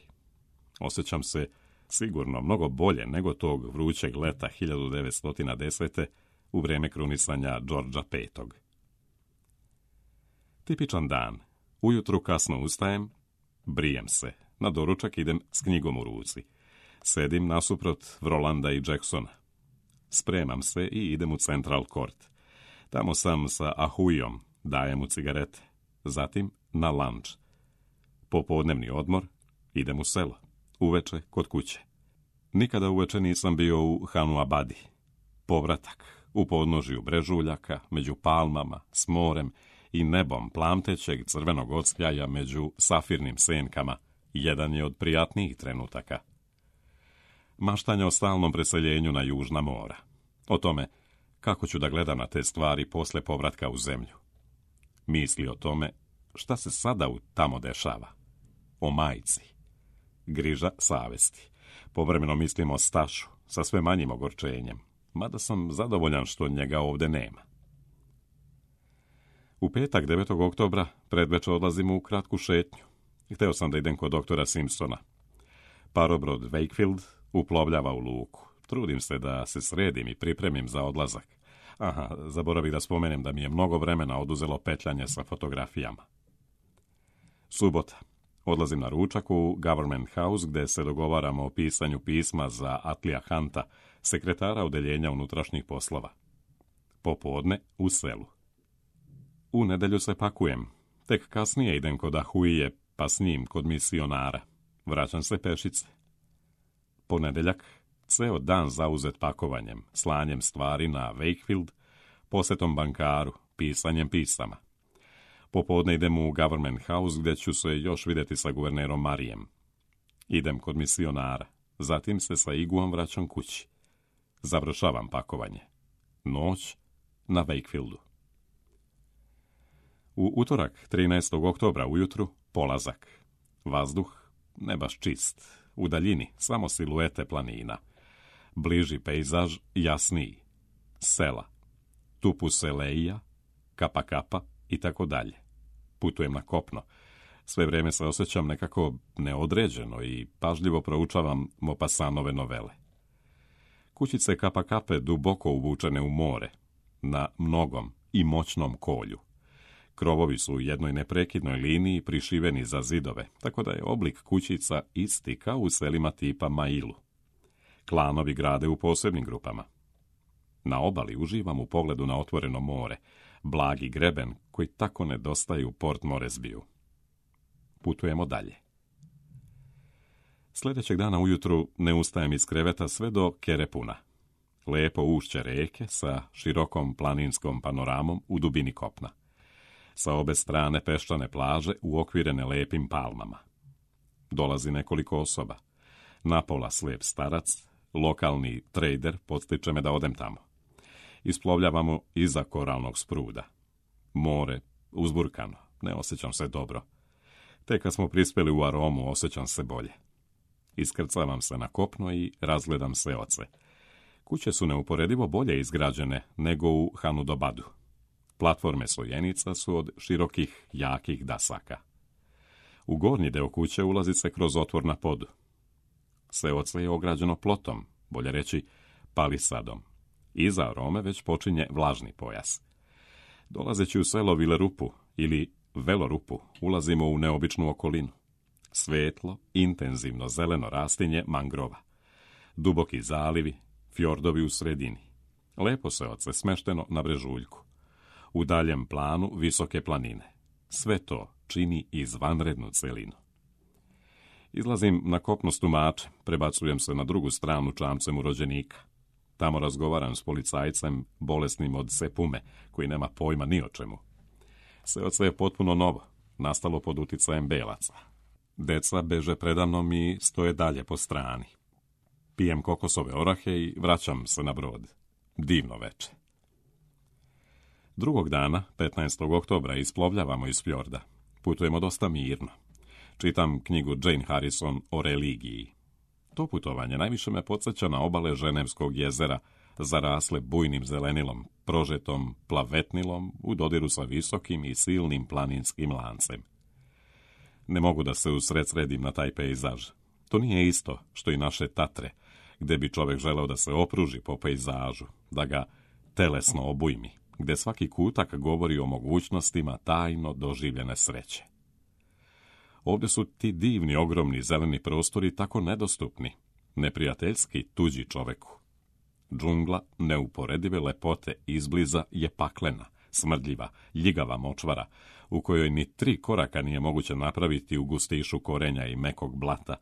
[SPEAKER 1] Osjećam se sigurno mnogo bolje nego tog vrućeg leta 1910. u vrijeme krunisanja Georgea V. Tipičan dan. Ujutru kasno ustajem, brijem se, na doručak idem s knjigom u ruci. Sedim nasuprot Vrolanda i Jacksona. Spremam se i idem u Central Court. Tamo sam sa Ahujom, dajem mu cigarete. Zatim na lunch. Popodnevni odmor, idem u selo. Uveče kod kuće. Nikada uveče nisam bio u Hanu Abadi. Povratak u podnožju brežuljaka, među palmama, s morem i nebom plamtećeg crvenog ocljaja među safirnim senkama, jedan je od prijatnijih trenutaka. Maštanja o stalnom preseljenju na južna mora. O tome kako ću da gledam na te stvari posle povratka u zemlju. Misli o tome šta se sada tamo dešava. O majci. Griža savesti. Povremeno mislim o Stašu sa sve manjim ogorčenjem, mada sam zadovoljan što njega ovde nema. U petak 9. oktobra predveče odlazimo u kratku šetnju. Hteo sam da idem kod doktora Simpsona. Parobrod Wakefield uplovljava u luku. Trudim se da se sredim i pripremim za odlazak. Aha, zaboravih da spomenem da mi je mnogo vremena oduzelo petljanje sa fotografijama. Subota. Odlazim na ručak u Government House gde se dogovaramo o pisanju pisma za Atlija Hunta, sekretara odeljenja unutrašnjih poslova. Popodne u selu. U nedelju se pakujem. Tek kasnije idem kod Ahuje, pa s njim kod misionara. Vraćam se pešice. Ponedeljak, ceo dan zauzet pakovanjem, slanjem stvari na Wakefield, posetom bankaru, pisanjem pisama. Popodne idem u Government House gdje ću se još vidjeti sa guvernerom Marijem. Idem kod misionara, zatim se sa Iguom vraćam kući. Završavam pakovanje. Noć na Wakefieldu. U utorak 13. oktobra ujutru polazak. Vazduh ne baš čist. U daljini samo siluete planina. Bliži pejzaž jasniji. Sela. Tupuseleija, Kapakapa i tako dalje. Putujem na kopno. Sve vrijeme se osjećam nekako neodređeno i pažljivo proučavam Maupassantove novele. Kućice Kapakape duboko uvučene u more, na mnogom i moćnom kolju. Krovovi su u jednoj neprekidnoj liniji prišiveni za zidove, tako da je oblik kućica isti kao u selima tipa Mailu. Klanovi grade u posebnim grupama. Na obali uživam u pogledu na otvoreno more, blagi greben koji tako nedostaje u Port Moresbiju. Putujemo dalje. Sljedećeg dana ujutru ne ustajem iz kreveta sve do Kerepuna. Lepo ušće reke sa širokom planinskom panoramom u dubini kopna. Sa obe strane peščane plaže uokvirene lepim palmama. Dolazi nekoliko osoba. Napola slijep starac, lokalni trader podstiče me da odem tamo. Isplovljavamo iza koralnog spruda. More uzburkano, ne osjećam se dobro. Tek kad smo prispjeli u Aromu, osjećam se bolje. Iskrcavam se na kopno i razgledam seoce. Kuće su neuporedivo bolje izgrađene nego u Hanudobadu. Platforme sojenica su od širokih, jakih dasaka. U gornji deo kuće ulazi se kroz otvor na podu. Seoce je ograđeno plotom, bolje reći palisadom. Iza Arome već počinje vlažni pojas. Dolazeći u selo Vilerupu ili Velorupu, ulazimo u neobičnu okolinu. Svetlo, intenzivno zeleno rastinje mangrova. Duboki zalivi, fjordovi u sredini. Lepo seoce smešteno na brežuljku. U daljem planu visoke planine. Sve to čini izvanrednu celinu. Izlazim na kopno s tumačem, prebacujem se na drugu stranu čamcem u rođenika. Tamo razgovaram s policajcem bolesnim od sepume, koji nema pojma ni o čemu. Seoce je potpuno novo, nastalo pod uticajem belaca. Deca beže predamnom i stoje dalje po strani. Pijem kokosove orahe i vraćam se na brod. Divno veče. Drugog dana, 15. oktobra, isplovljavamo iz fjorda. Putujemo dosta mirno. Čitam knjigu Jane Harrison o religiji. To putovanje najviše me podsjeća na obale Ženevskog jezera, zarasle bujnim zelenilom, prožetom plavetnilom, u dodiru sa visokim i silnim planinskim lancem. Ne mogu da se usred sredim na taj pejzaž. To nije isto što i naše Tatre, gde bi čovjek želeo da se opruži po pejzažu, da ga telesno obujmi, gde svaki kutak govori o mogućnostima tajno doživljene sreće. Ovdje su ti divni, ogromni zeleni prostori tako nedostupni, neprijateljski tuđi čoveku. Džungla neuporedive lepote izbliza je paklena, smrdljiva, ljigava močvara, u kojoj ni 3 koraka nije moguće napraviti u gustišu korenja i mekog blata,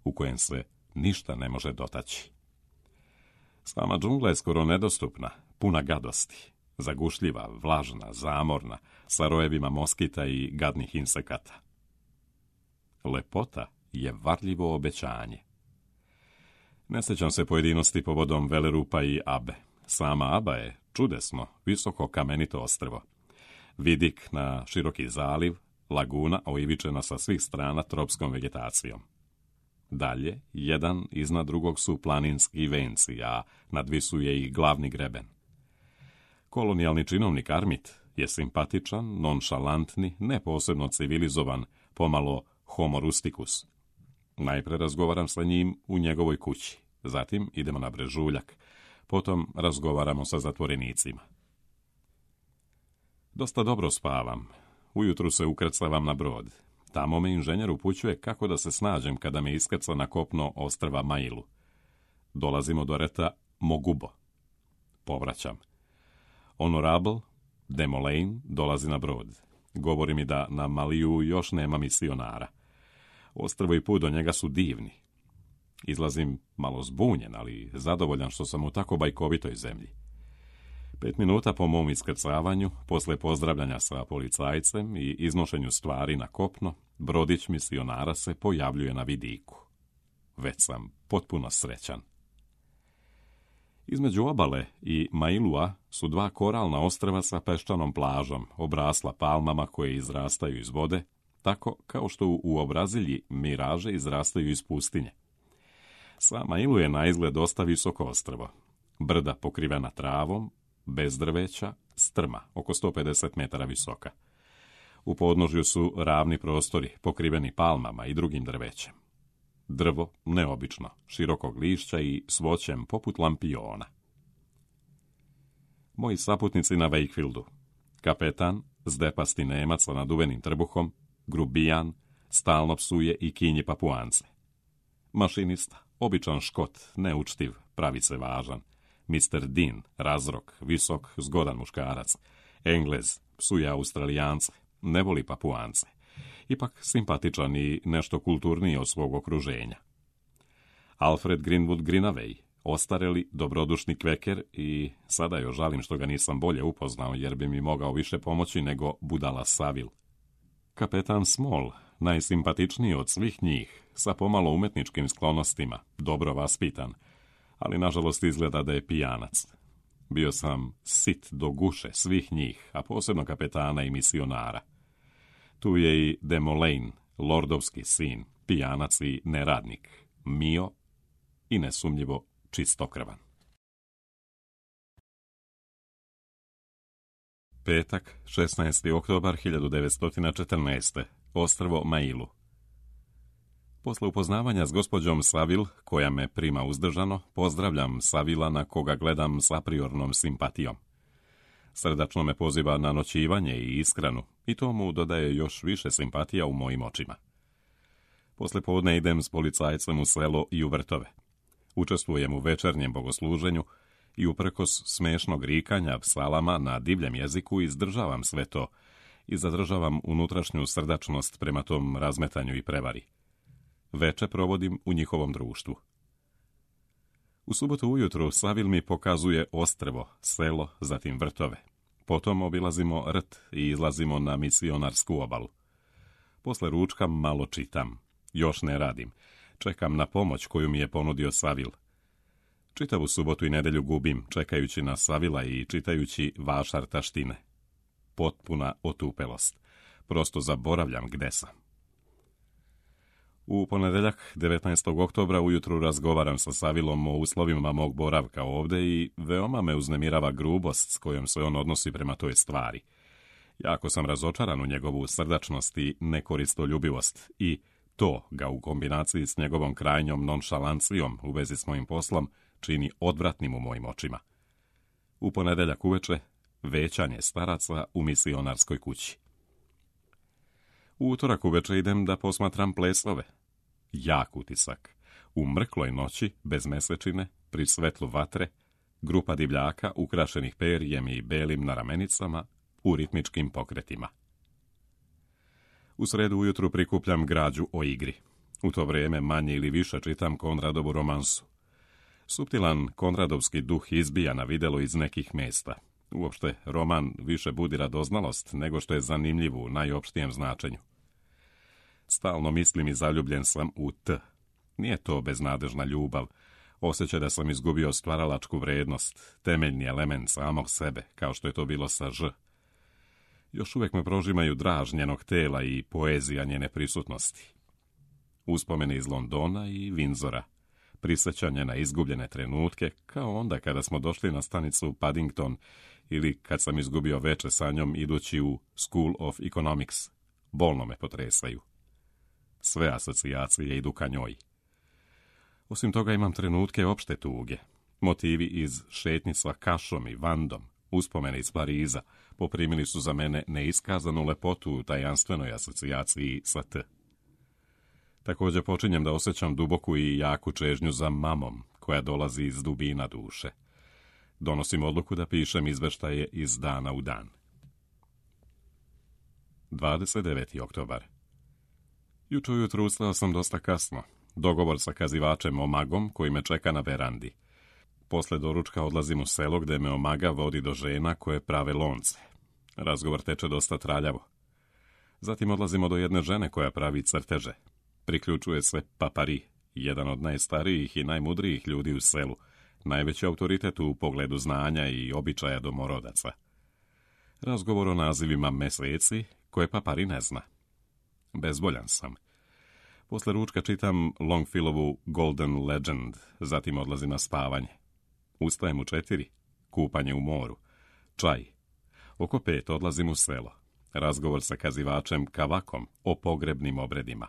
[SPEAKER 1] u kojem se ništa ne može dotaći. Sama džungla je skoro nedostupna, puna gadosti, zagušljiva, vlažna, zamorna, sa rojevima moskita i gadnih insekata. Lepota je varljivo obećanje. Ne sjećam se pojedinosti povodom Velerupa i Abe. Sama Aba je čudesno, visoko kamenito ostrvo. Vidik na široki zaliv, laguna oivičena sa svih strana tropskom vegetacijom. Dalje, jedan iznad drugog su planinski venci, a nadvisuje ih glavni greben. Kolonijalni činovnik Armit je simpatičan, nonšalantni, ne posebno civilizovan, pomalo homo rusticus. Najpre razgovaram sa njim u njegovoj kući, zatim idemo na brežuljak, potom razgovaramo sa zatvorenicima. Dosta dobro spavam. Ujutru se ukrcavam na brod. Tamo me inženjer upućuje kako da se snađem kada me iskrca na kopno ostrva Mailu. Dolazimo do reta Mogubo. Povraćam. Honorable Demolain dolazi na brod. Govori mi da na Maliju još nema misionara. Ostrvo i put do njega su divni. Izlazim malo zbunjen, ali zadovoljan što sam u tako bajkovitoj zemlji. 5 minuta po mom iskrcavanju, posle pozdravljanja sa policajcem i iznošenju stvari na kopno, brodić misionara se pojavljuje na vidiku. Već sam potpuno srećan. Između obale i Mailua su 2 koralna ostrva sa peščanom plažom, obrasla palmama koje izrastaju iz vode, tako kao što u Obrazilji miraže izrastaju iz pustinje. Sa Mailu je na izgled dosta visoko ostrvo. Brda pokrivena travom, bez drveća, strma, oko 150 metara visoka. U podnožju su ravni prostori, pokriveni palmama i drugim drvećem. Drvo neobično, širokog lišća i s voćem poput lampiona. Moji saputnici na Wakefieldu. Kapetan, zdepasti Nemac sa naduvenim trbuhom, grubijan, stalno psuje i kinji Papuance. Mašinista, običan Škot, neučtiv, pravi se važan. Mr. Dean, razrok, visok, zgodan muškarac. Englez, psuje Australijance, ne voli Papuance. Ipak simpatičan i nešto kulturniji od svog okruženja. Alfred Greenwood Greenaway, ostareli, dobrodušni kveker i sada još žalim što ga nisam bolje upoznao jer bi mi mogao više pomoći nego budala Saville. Kapetan Small, najsimpatičniji od svih njih, sa pomalo umetničkim sklonostima, dobro vaspitan, ali nažalost izgleda da je pijanac. Bio sam sit do guše svih njih, a posebno kapetana i misionara. Tu je i Demolain, lordovski sin, pijanac i neradnik, mio i nesumnjivo čistokrvan. Petak, 16. oktobar 1914. Ostrvo Mailu. Posle upoznavanja s gospođom Saville, koja me prima uzdržano, pozdravljam Savila na koga gledam s apriornom simpatijom. Srdačno me poziva na noćivanje i ishranu, i to mu dodaje još više simpatija u mojim očima. Posle podne idem s policajcem u selo i u vrtove. Učestvujem u večernjem bogosluženju i uprkos smešnog rikanja psalama na divljem jeziku izdržavam sve to i zadržavam unutrašnju srdačnost prema tom razmetanju i prevari. Veče provodim u njihovom društvu. U subotu ujutru Saville mi pokazuje ostrvo, selo, zatim vrtove. Potom obilazimo rt i izlazimo na misionarsku obalu. Posle ručka malo čitam. Još ne radim. Čekam na pomoć koju mi je ponudio Saville. Čitavu subotu i nedelju gubim, čekajući na Savila i čitajući vašar taštine. Potpuna otupelost. Prosto zaboravljam gde sam. U ponedeljak, 19. oktobra, ujutru razgovaram sa Savillom o uslovima mog boravka ovde i veoma me uznemirava grubost s kojom se on odnosi prema toj stvari. Jako sam razočaran u njegovu srdačnost i nekoristoljubivost i to ga u kombinaciji s njegovom krajnjom nonšalancijom u vezi s mojim poslom čini odvratnim u mojim očima. U ponedeljak uveče, većanje staraca u misionarskoj kući. U utorak uveče idem da posmatram plesove. Jak utisak. U mrkloj noći, bez mesečine, pri svetlu vatre, Grupa divljaka ukrašenih perijem i belim na ramenicama u ritmičkim pokretima. U sredu ujutru prikupljam građu o igri. U to vrijeme manje ili više čitam Konradovu romansu. Suptilan konradovski duh izbija na vidjelo iz nekih mjesta. Uopšte, roman više budi radoznalost nego što je zanimljiv u najopštijem značenju. Stalno mislim i zaljubljen sam u T. Nije to beznadežna ljubav, osjećaj da sam izgubio stvaralačku vrednost, temeljni element samog sebe, kao što je to bilo sa Ž. Još uvijek me prožimaju draž njenog tela i poezija njene prisutnosti. Uspomene iz Londona i Windsora, prisjećanje na izgubljene trenutke, kao onda kada smo došli na stanicu Paddington ili kad sam izgubio veče sa njom idući u School of Economics, bolno me potresaju. Sve asocijacije idu ka njoj. Osim toga imam trenutke opšte tuge, motivi iz šetnji sa Kašom i Vandom, uspomene iz Pariza, poprimili su za mene neiskazanu lepotu u tajanstvenoj asocijaciji sa T. Također počinjem da osjećam duboku i jaku čežnju za mamom, koja dolazi iz dubina duše. Donosim odluku da pišem izveštaje iz dana u dan. 29. oktobar. Jučer ujutru ustao sam dosta kasno. Dogovor sa kazivačem Omagom koji me čeka na verandi. Posle doručka odlazim u selo gdje me Omaga vodi do žena koje prave lonce. Razgovor teče dosta traljavo. Zatim odlazimo do jedne žene koja pravi crteže. Priključuje se Papari, jedan od najstarijih i najmudrijih ljudi u selu, najveći autoritet u pogledu znanja i običaja domorodaca. Razgovor o nazivima meseci koje Papari ne zna. Bezboljan sam. Posle ručka čitam Longfellovu Golden Legend, zatim odlazim na spavanje. Ustajem u 4, kupanje u moru, čaj. Oko 5 odlazim u selo. Razgovor sa kazivačem Kavakom o pogrebnim obredima.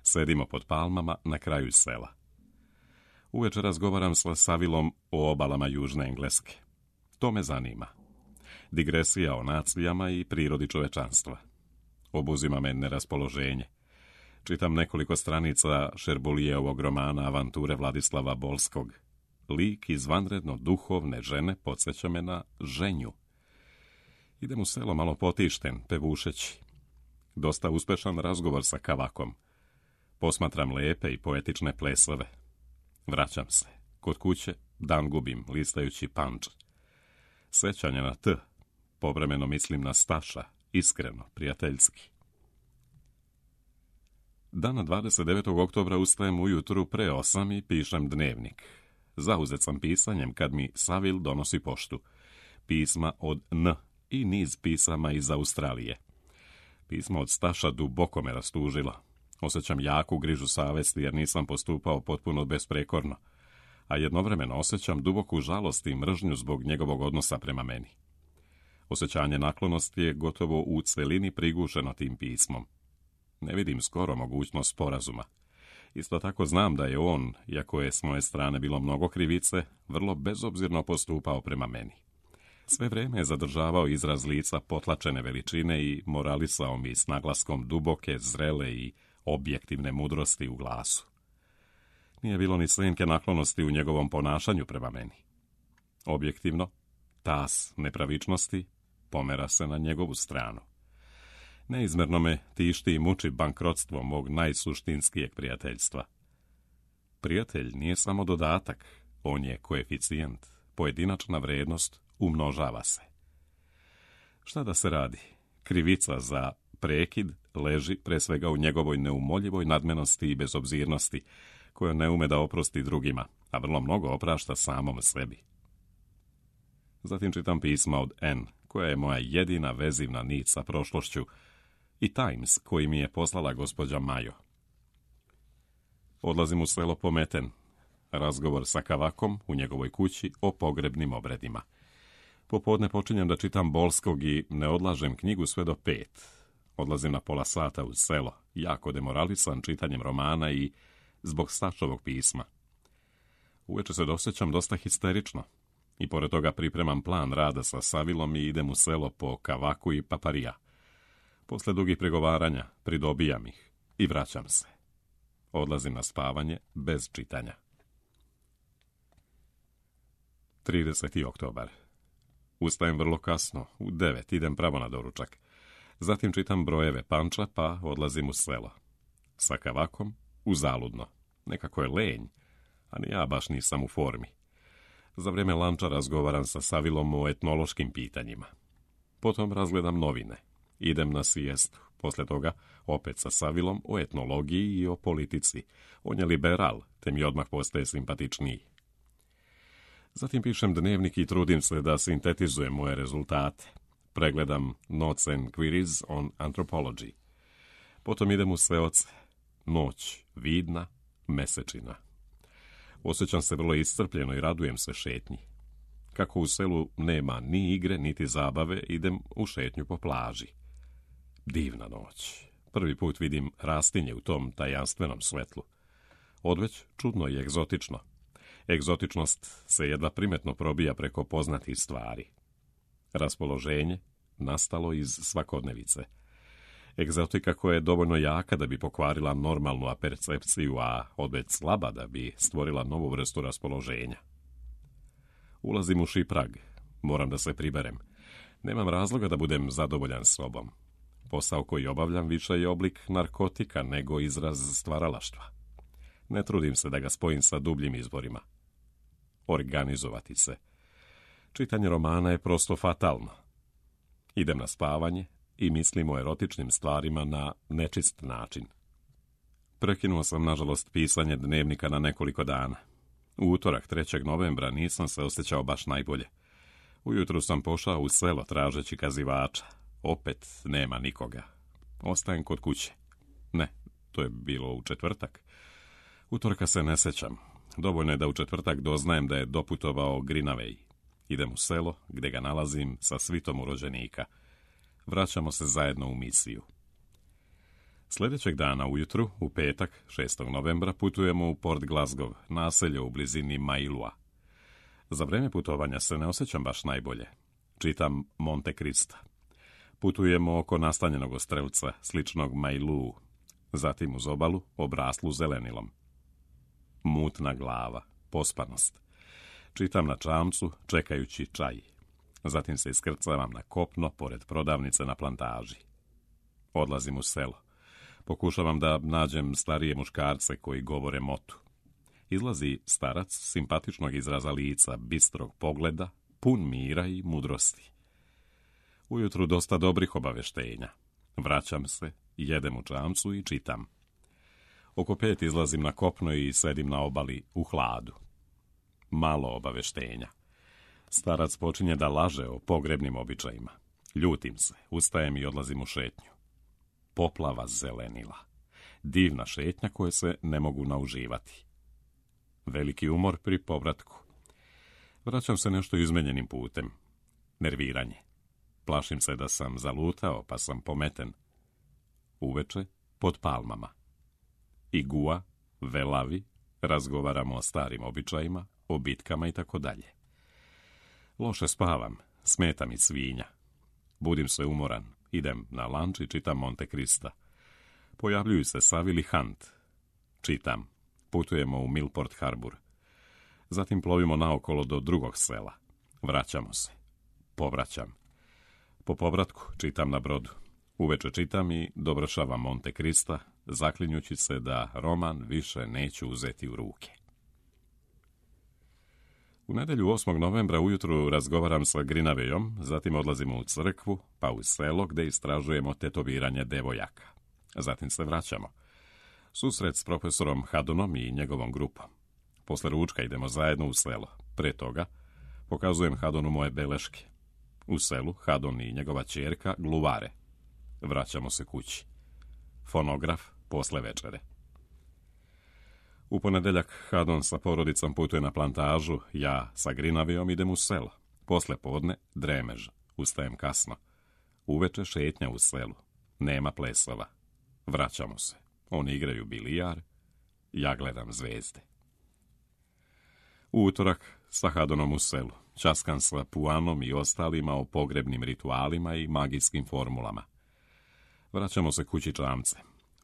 [SPEAKER 1] Sedimo pod palmama na kraju sela. Uveče razgovaram sa Savilom o obalama Južne Engleske. To me zanima. Digresija o nacijama i prirodi čovečanstva. Obuzima me neraspoloženje. Čitam nekoliko stranica Šerbulijevog romana Avanture Vladislava Bolskog. Lik izvanredno duhovne žene podsjeća me na ženju. Idem u selo malo potišten, pevušeći. Dosta uspešan razgovor sa Kavakom. Posmatram lepe i poetične plesove. Vraćam se. Kod kuće dan gubim, listajući Punch. Sećanje na T. Povremeno mislim na Staša, iskreno, prijateljski. Dana 29. oktobra ustajem ujutru pre 8 i pišem dnevnik. Zauzet sam pisanjem kad mi Savil donosi poštu. Pisma od N i niz pisama iz Australije. Pismo od Staša duboko me rastužilo. Osjećam jaku grižu savesti jer nisam postupao potpuno besprekorno, a jednovremeno osjećam duboku žalost i mržnju zbog njegovog odnosa prema meni. Osjećanje naklonosti je gotovo u celini prigušeno tim pismom. Ne vidim skoro mogućnost sporazuma. Isto tako znam da je on, iako je s moje strane bilo mnogo krivice, vrlo bezobzirno postupao prema meni. Sve vrijeme je zadržavao izraz lica potlačene veličine i moralisao mi s naglaskom duboke, zrele i objektivne mudrosti u glasu. Nije bilo ni senke naklonosti u njegovom ponašanju prema meni. Objektivno, tas nepravičnosti pomera se na njegovu stranu. Neizmerno me tišti i muči bankrotstvo mog najsuštinskijeg prijateljstva. Prijatelj nije samo dodatak, on je koeficijent, pojedinačna vrednost umnožava se. Šta da se radi? Krivica za prekid leži pre svega u njegovoj neumoljivoj nadmenosti i bezobzirnosti, koja ne ume da oprosti drugima, a vrlo mnogo oprašta samom sebi. Zatim čitam pisma od N, koja je moja jedina vezivna nit sa prošlošću, i Times, koji mi je poslala gospođa Majo. Odlazim u selo pometen. Razgovor sa Kavakom u njegovoj kući o pogrebnim obredima. Popodne počinjem da čitam Bolskog i ne odlažem knjigu sve do 5. Odlazim na pola sata u selo, jako demoralisan čitanjem romana i zbog Stašovog pisma. Uveče se dosjećam dosta histerično i pored toga pripremam plan rada sa Savilom i idem u selo po Kavaku i Paparija. Posle dugih pregovaranja pridobijam ih i vraćam se. Odlazim na spavanje bez čitanja. 30. oktobar. Ustajem vrlo kasno, u 9 idem pravo na doručak. Zatim čitam brojeve panča, pa odlazim u selo. Sa kavakom, uzaludno. Nekako je lenj, a ni ja baš nisam u formi. Za vrijeme lanča razgovaram sa Savilom o etnološkim pitanjima. Potom razgledam novine. Idem na sijestu. Poslije toga opet sa Savilom o etnologiji i o politici. On je liberal, te mi odmah postaje simpatičniji. Zatim pišem dnevnik i trudim se da sintetizujem moje rezultate. Pregledam Notes and Queries on Anthropology. Potom idem u sveoce. Noć vidna, mesečina. Osjećam se vrlo iscrpljeno i radujem se šetnji. Kako u selu nema ni igre, niti zabave, idem u šetnju po plaži. Divna noć. Prvi put vidim rastinje u tom tajanstvenom svetlu. Odveć čudno i egzotično. Egzotičnost se jedva primetno probija preko poznatih stvari. Raspoloženje nastalo iz svakodnevice. Egzotika koja je dovoljno jaka da bi pokvarila normalnu apercepciju, a odveć slaba da bi stvorila novu vrstu raspoloženja. Ulazim u šiprag. Moram da se priberem. Nemam razloga da budem zadovoljan sobom. Posao koji obavljam više je oblik narkotika nego izraz stvaralaštva. Ne trudim se da ga spojim sa dubljim izborima. Organizovati se. Čitanje romana je prosto fatalno. Idem na spavanje i mislim o erotičnim stvarima na nečist način. Prekinuo sam, nažalost, pisanje dnevnika na nekoliko dana. U utorak 3. novembra nisam se osjećao baš najbolje. Ujutru sam pošao u selo tražeći kazivača. Opet nema nikoga. Ostajem kod kuće. Ne, to je bilo u četvrtak. Utorka se ne sjećam. Dovoljno je da u četvrtak doznajem da je doputovao Grinavej. Idem u selo, gdje ga nalazim sa svitom urođenika. Vraćamo se zajedno u misiju. Sljedećeg dana ujutru, u petak, 6. novembra, putujemo u Port Glasgow, naselje u blizini Mailua. Za vrijeme putovanja se ne osjećam baš najbolje. Čitam Monte Crista. Putujemo oko nastanjenog ostrelca, sličnog Mailuu, zatim uz obalu, obraslu zelenilom. Mutna glava, pospanost. Čitam na čamcu, čekajući čaj. Zatim se iskrcavam na kopno, pored prodavnice na plantaži. Odlazim u selo. Pokušavam da nađem starije muškarce koji govore motu. Izlazi starac simpatičnog izraza lica, bistrog pogleda, pun mira i mudrosti. Ujutru dosta dobrih obaveštenja. Vraćam se, jedem u čamcu i čitam. Oko 5 izlazim na kopno i sedim na obali u hladu. Malo obaveštenja. Starac počinje da laže o pogrebnim običajima. Ljutim se, ustajem i odlazim u šetnju. Poplava zelenila. Divna šetnja koje se ne mogu nauživati. Veliki umor pri povratku. Vraćam se nešto izmenjenim putem. Nerviranje. Plašim se da sam zalutao, pa sam pometen. Uveče, pod palmama. Igua, velavi, razgovaramo o starim običajima, o bitkama i tako dalje. Loše spavam, smeta mi svinja. Budim se umoran, idem na lanč i čitam Monte Crista. Pojavljuju se Savile i Hunt. Čitam. Putujemo u Millport Harbor. Zatim plovimo naokolo do drugog sela. Vraćamo se. Povraćam. Po povratku čitam na brodu. Uveče čitam i dovršavam Monte Crista, zaklinjući se da roman više neću uzeti u ruke. U nedjelju 8. novembra ujutru razgovaram sa Grinavejom, zatim odlazimo u crkvu, pa u selo gdje istražujemo tetoviranje devojaka. Zatim se vraćamo. Susret s profesorom Haddonom i njegovom grupom. Posle ručka idemo zajedno u selo. Pre toga pokazujem Haddonu moje beleške. U selu Haddon i njegova ćerka gluvare. Vraćamo se kući. Fonograf posle večere. U ponedjeljak Haddon sa porodicom putuje na plantažu, ja sa Grinavejom idem u selo. Posle podne dremež, ustajem kasno. Uveče šetnja u selu. Nema plesova. Vraćamo se. Oni igraju bilijar, ja gledam zvezde. U utorak sa Haddonom u selu. Časkan sa Puanom i ostalima o pogrebnim ritualima i magijskim formulama. Vraćamo se kući čamce.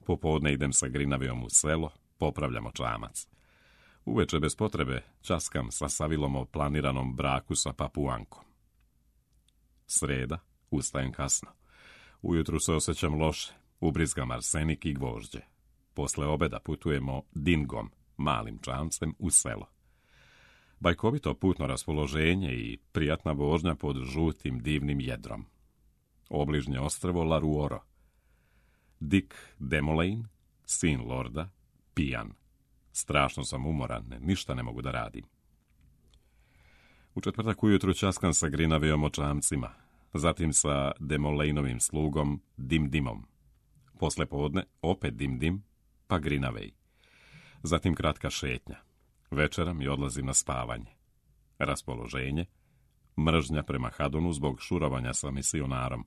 [SPEAKER 1] Popodne idem sa Grinavejom u selo, popravljamo čamac. Uveče bez potrebe časkam sa Savilom o planiranom braku sa Papuankom. Sreda, ustajem kasno. Ujutru se osjećam loše, ubrizgam arsenik i gvožđe. Posle obeda putujemo Dingom, malim čamcem, u selo. Bajkovito putno raspoloženje i prijatna vožnja pod žutim divnim jedrom. Obližnje ostrvo Laruoro. Dick Demolane, sin lorda, pijan. Strašno sam umoran, ništa ne mogu da radim. U četvrtak ujutru časkam sa Grinavejom o čamcima, zatim sa Demolaneovim slugom Dimdimom. Posle podne opet Dimdim, pa Grinavej. Zatim kratka šetnja. Večeram i odlazim na spavanje. Raspoloženje, mržnja prema Hadonu zbog šurovanja sa misionarom,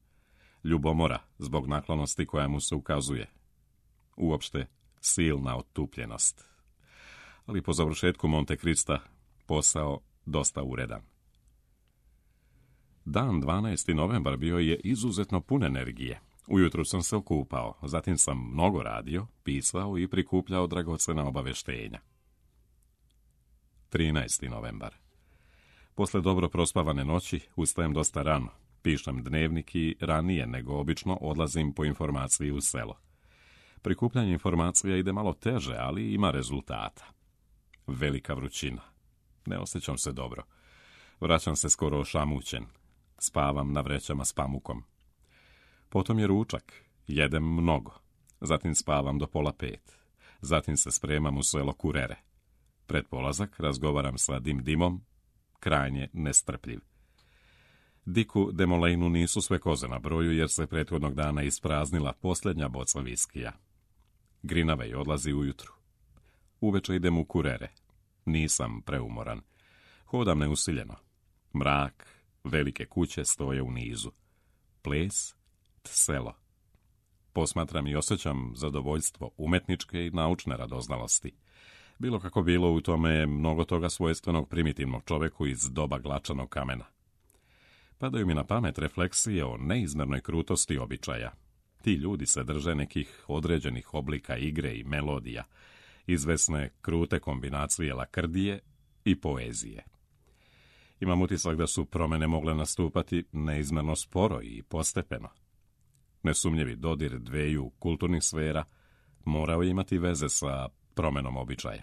[SPEAKER 1] ljubomora zbog naklonosti koja mu se ukazuje. Uopšte, silna otupljenost. Ali po završetku Monte Krista posao dosta uredan. Dan 12. novembar bio je izuzetno pun energije. Ujutru sam se okupao, zatim sam mnogo radio, pisao i prikupljao dragocena obaveštenja. 13. novembar. Posle dobro prospavane noći ustajem dosta rano, pišem dnevnik i ranije nego obično odlazim po informaciji u selo. Prikupljanje informacija ide malo teže, ali ima rezultata. Velika vrućina. Ne osjećam se dobro. Vraćam se skoro ošamućen. Spavam na vrećama s pamukom. Potom je ručak. Jedem mnogo. Zatim spavam do 4:30. Zatim se spremam u selo Kurere. Pred polazak razgovaram sa Dimdimom, krajnje nestrpljiv. Dicku Demolaneu nisu sve koze na broju jer se prethodnog dana ispraznila posljednja boca viskija. Grinavej odlazi ujutru. Uveče idem u Kurere. Nisam preumoran. Hodam neusiljeno. Mrak, velike kuće stoje u nizu. Ples, selo. Posmatram i osjećam zadovoljstvo umetničke i naučne radoznalosti. Bilo kako bilo, u tome je mnogo toga svojstvenog primitivnog čoveku iz doba glačanog kamena. Padaju mi na pamet refleksije o neizmernoj krutosti običaja. Ti ljudi se drže nekih određenih oblika igre i melodija, izvesne krute kombinacije lakrdije i poezije. Imam utisak da su promjene mogle nastupati neizmerno sporo i postepeno. Nesumnjivi dodir dveju kulturnih sfera morao je imati veze sa promjenom običaja.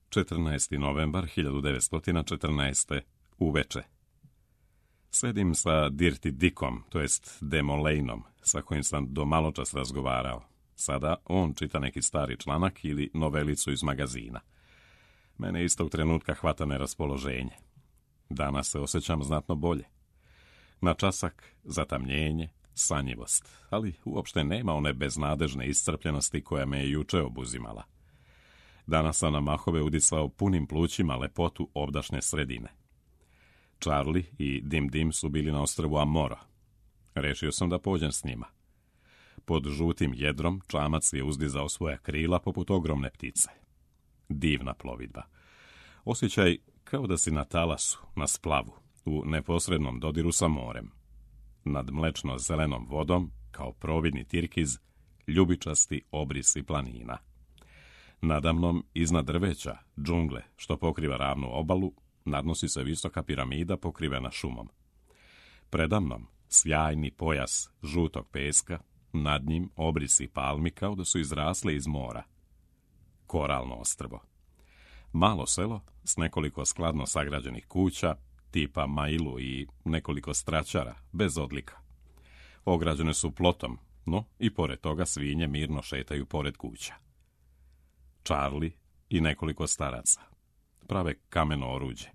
[SPEAKER 1] 14. novembar 1914. uveče. Sedim sa Dirty Dickom, to jest Demolaneom, sa kojim sam do maločas razgovarao. Sada on čita neki stari članak ili novelicu iz magazina. Mene istog trenutka hvata neraspoloženje. Danas se osjećam znatno bolje. Na časak zatamnjenje, sanjivost, ali uopšte nema one beznadežne iscrpljenosti koja me je juče obuzimala. Danas sam na mahove udisao punim plućima lepotu obdašnje sredine. Charlie i Dimdim su bili na ostrvu Amoro. Rešio sam da pođem s njima. Pod žutim jedrom čamac je uzdizao svoja krila poput ogromne ptice. Divna plovidba. Osjećaj kao da si na talasu, na splavu, u neposrednom dodiru sa morem. Nad mlečno-zelenom vodom, kao providni tirkiz, ljubičasti obrisi planina. Nadamnom, iznad drveća, džungle, što pokriva ravnu obalu, nadnosi se visoka piramida pokrivena šumom. Predamnom, sjajni pojas žutog peska, nad njim obrisi palmi kao da su izrasle iz mora. Koralno ostrvo. Malo selo s nekoliko skladno sagrađenih kuća, tipa Mailu i nekoliko straćara, bez odlika. Ograđene su plotom, no i pored toga svinje mirno šetaju pored kuća. Charlie i nekoliko staraca. Prave kameno oruđe.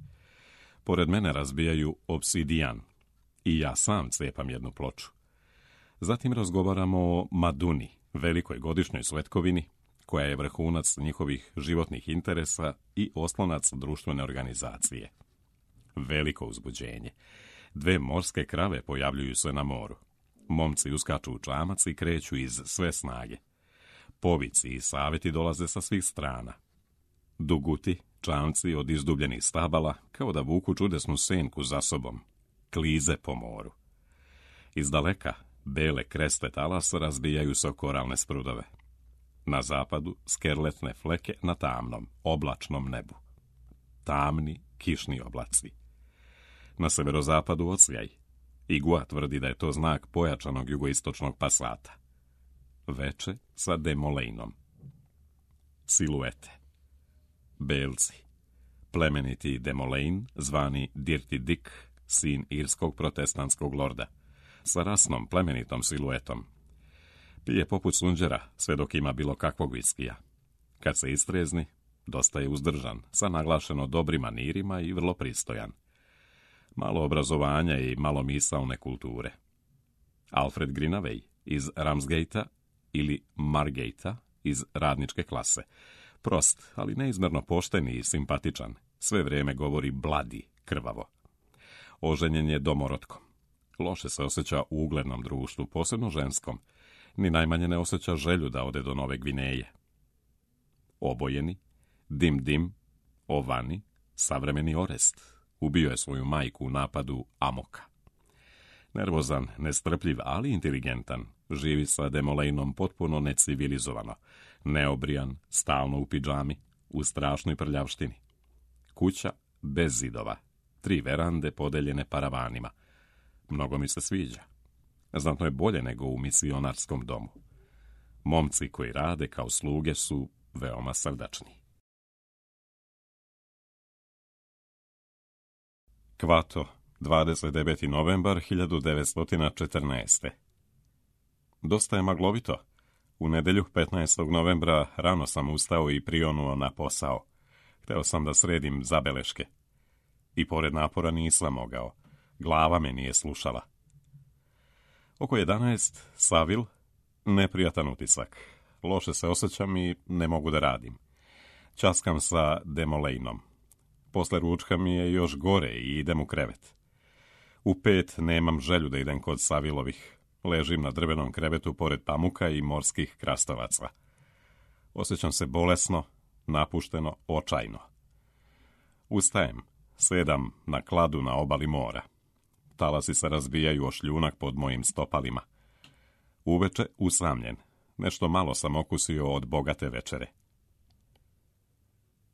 [SPEAKER 1] Pored mene razbijaju obsidijan i ja sam cepam jednu ploču. Zatim razgovaramo o Maduni, velikoj godišnjoj svetkovini, koja je vrhunac njihovih životnih interesa i oslonac društvene organizacije. Veliko uzbuđenje. 2 morske krave pojavljuju se na moru. Momci uskaču u čamac i kreću iz sve snage. Povici i saveti dolaze sa svih strana. Duguti, čamci od izdubljenih stabala, kao da vuku čudesnu senku za sobom. Klize po moru. Iz daleka, bele kreste talasa razbijaju se o koralne sprudove. Na zapadu skerletne fleke na tamnom, oblačnom nebu. Tamni, kišni oblaci. Na severozapadu ocljaj. Igua tvrdi da je to znak pojačanog jugoistočnog pasata. Veče sa Demolejnom. Siluete. Belci. Plemeniti Demolejn, zvani Dirty Dick, sin irskog protestantskog lorda, sa rasnom plemenitom siluetom. Pije poput sunđera, sve dok ima bilo kakvog viskija. Kad se istrezni, dosta je uzdržan, sa naglašeno dobrim manirima i vrlo pristojan. Malo obrazovanja i malo misaone kulture. Alfred Greenaway iz Ramsgate-a ili Margate-a iz radničke klase. Prost, ali neizmjerno pošten i simpatičan. Sve vrijeme govori bladi, krvavo. Oženjen je domorotkom. Loše se osjeća u uglednom društvu, posebno ženskom. Ni najmanje ne osjeća želju da ode do Nove Gvineje. Obojeni, Dim, Ovani, savremeni Orest. Ubio je svoju majku u napadu Amoka. Nervozan, nestrpljiv, ali inteligentan, živi sa Demolejnom potpuno necivilizovano. Neobrijan, stalno u pidžami, u strašnoj prljavštini. Kuća bez zidova, 3 verande podeljene paravanima. Mnogo mi se sviđa. Znatno je bolje nego u misionarskom domu. Momci koji rade kao sluge su veoma srdačni. Kvato, 29. novembar 1914. Dosta je maglovito. U nedjelju 15. novembra rano sam ustao i prionuo na posao. Hteo sam da sredim zabeleške. I pored napora nisam mogao. Glava me nije slušala. Oko 11, Savil, neprijatan utisak. Loše se osjećam i ne mogu da radim. Časkam sa Demolejnom. Posle ručka mi je još gore i idem u krevet. U 5 nemam želju da idem kod Savilovih. Ležim na drvenom krevetu pored pamuka i morskih krastavaca. Osjećam se bolesno, napušteno, očajno. Ustajem, sedam na kladu na obali mora. Talasi se razbijaju o šljunak pod mojim stopalima. Uveče usamljen. Nešto malo sam okusio od bogate večere.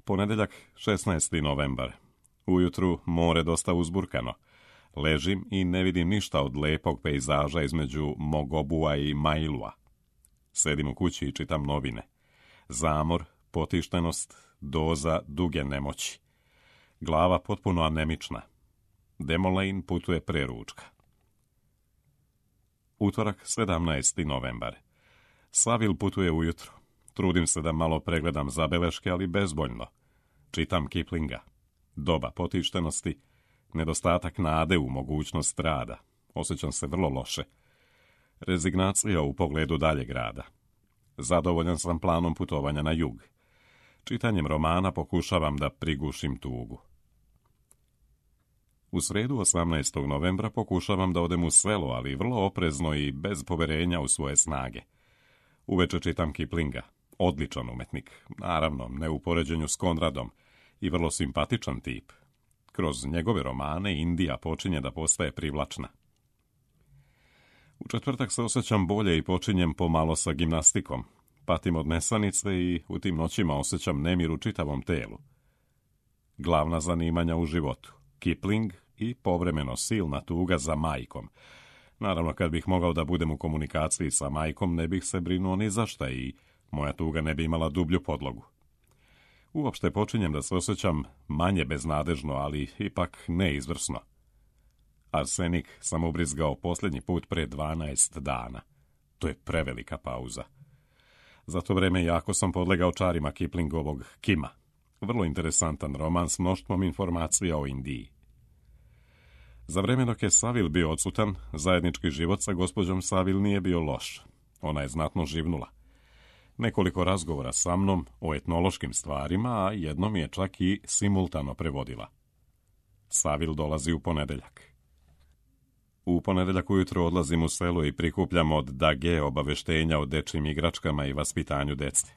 [SPEAKER 1] Ponedeljak, 16. novembar. Ujutru more dosta uzburkano. Ležim i ne vidim ništa od lepog pejzaža između Mogobua i Mailua. Sedim u kući i čitam novine. Zamor, potištenost, doza duge nemoći. Glava potpuno anemična. Demolejn putuje pre ručka. Utorak, 17. novembar. Savil putuje ujutro. Trudim se da malo pregledam zabeleške, ali bezboljno. Čitam Kiplinga. Doba potištenosti, nedostatak nade u mogućnost rada. Osjećam se vrlo loše. Rezignacija u pogledu daljeg rada. Zadovoljan sam planom putovanja na jug. Čitanjem romana pokušavam da prigušim tugu. U sredu 18. novembra pokušavam da odem u selo, ali vrlo oprezno i bez poverenja u svoje snage. Uveče čitam Kiplinga. Odličan umetnik, naravno, ne u poređenju s Konradom, i vrlo simpatičan tip. Kroz njegove romane Indija počinje da postaje privlačna. U četvrtak se osjećam bolje i počinjem pomalo sa gimnastikom. Patim od nesanice i u tim noćima osjećam nemir u čitavom telu. Glavna zanimanja u životu, Kipling i povremeno silna tuga za majkom. Naravno, kad bih mogao da budem u komunikaciji sa majkom, ne bih se brinuo ni za šta i moja tuga ne bi imala dublju podlogu. Uopšte počinjem da se osjećam manje beznadežno, ali ipak neizvrsno. Arsenik sam ubrizgao posljednji put pre 12 dana. To je prevelika pauza. Za to vreme jako sam podlegao čarima Kiplingovog Kima. Vrlo interesantan roman s mnoštvom informacija o Indiji. Za vreme dok je Savil bio odsutan, zajednički život sa gospođom Savil nije bio loš. Ona je znatno živnula. Nekoliko razgovora sa mnom o etnološkim stvarima, a jednom je čak i simultano prevodila. Savil dolazi u ponedeljak. U ponedeljak ujutro odlazim u selo i prikupljam od Dage obaveštenja o dečjim igračkama i vaspitanju dece.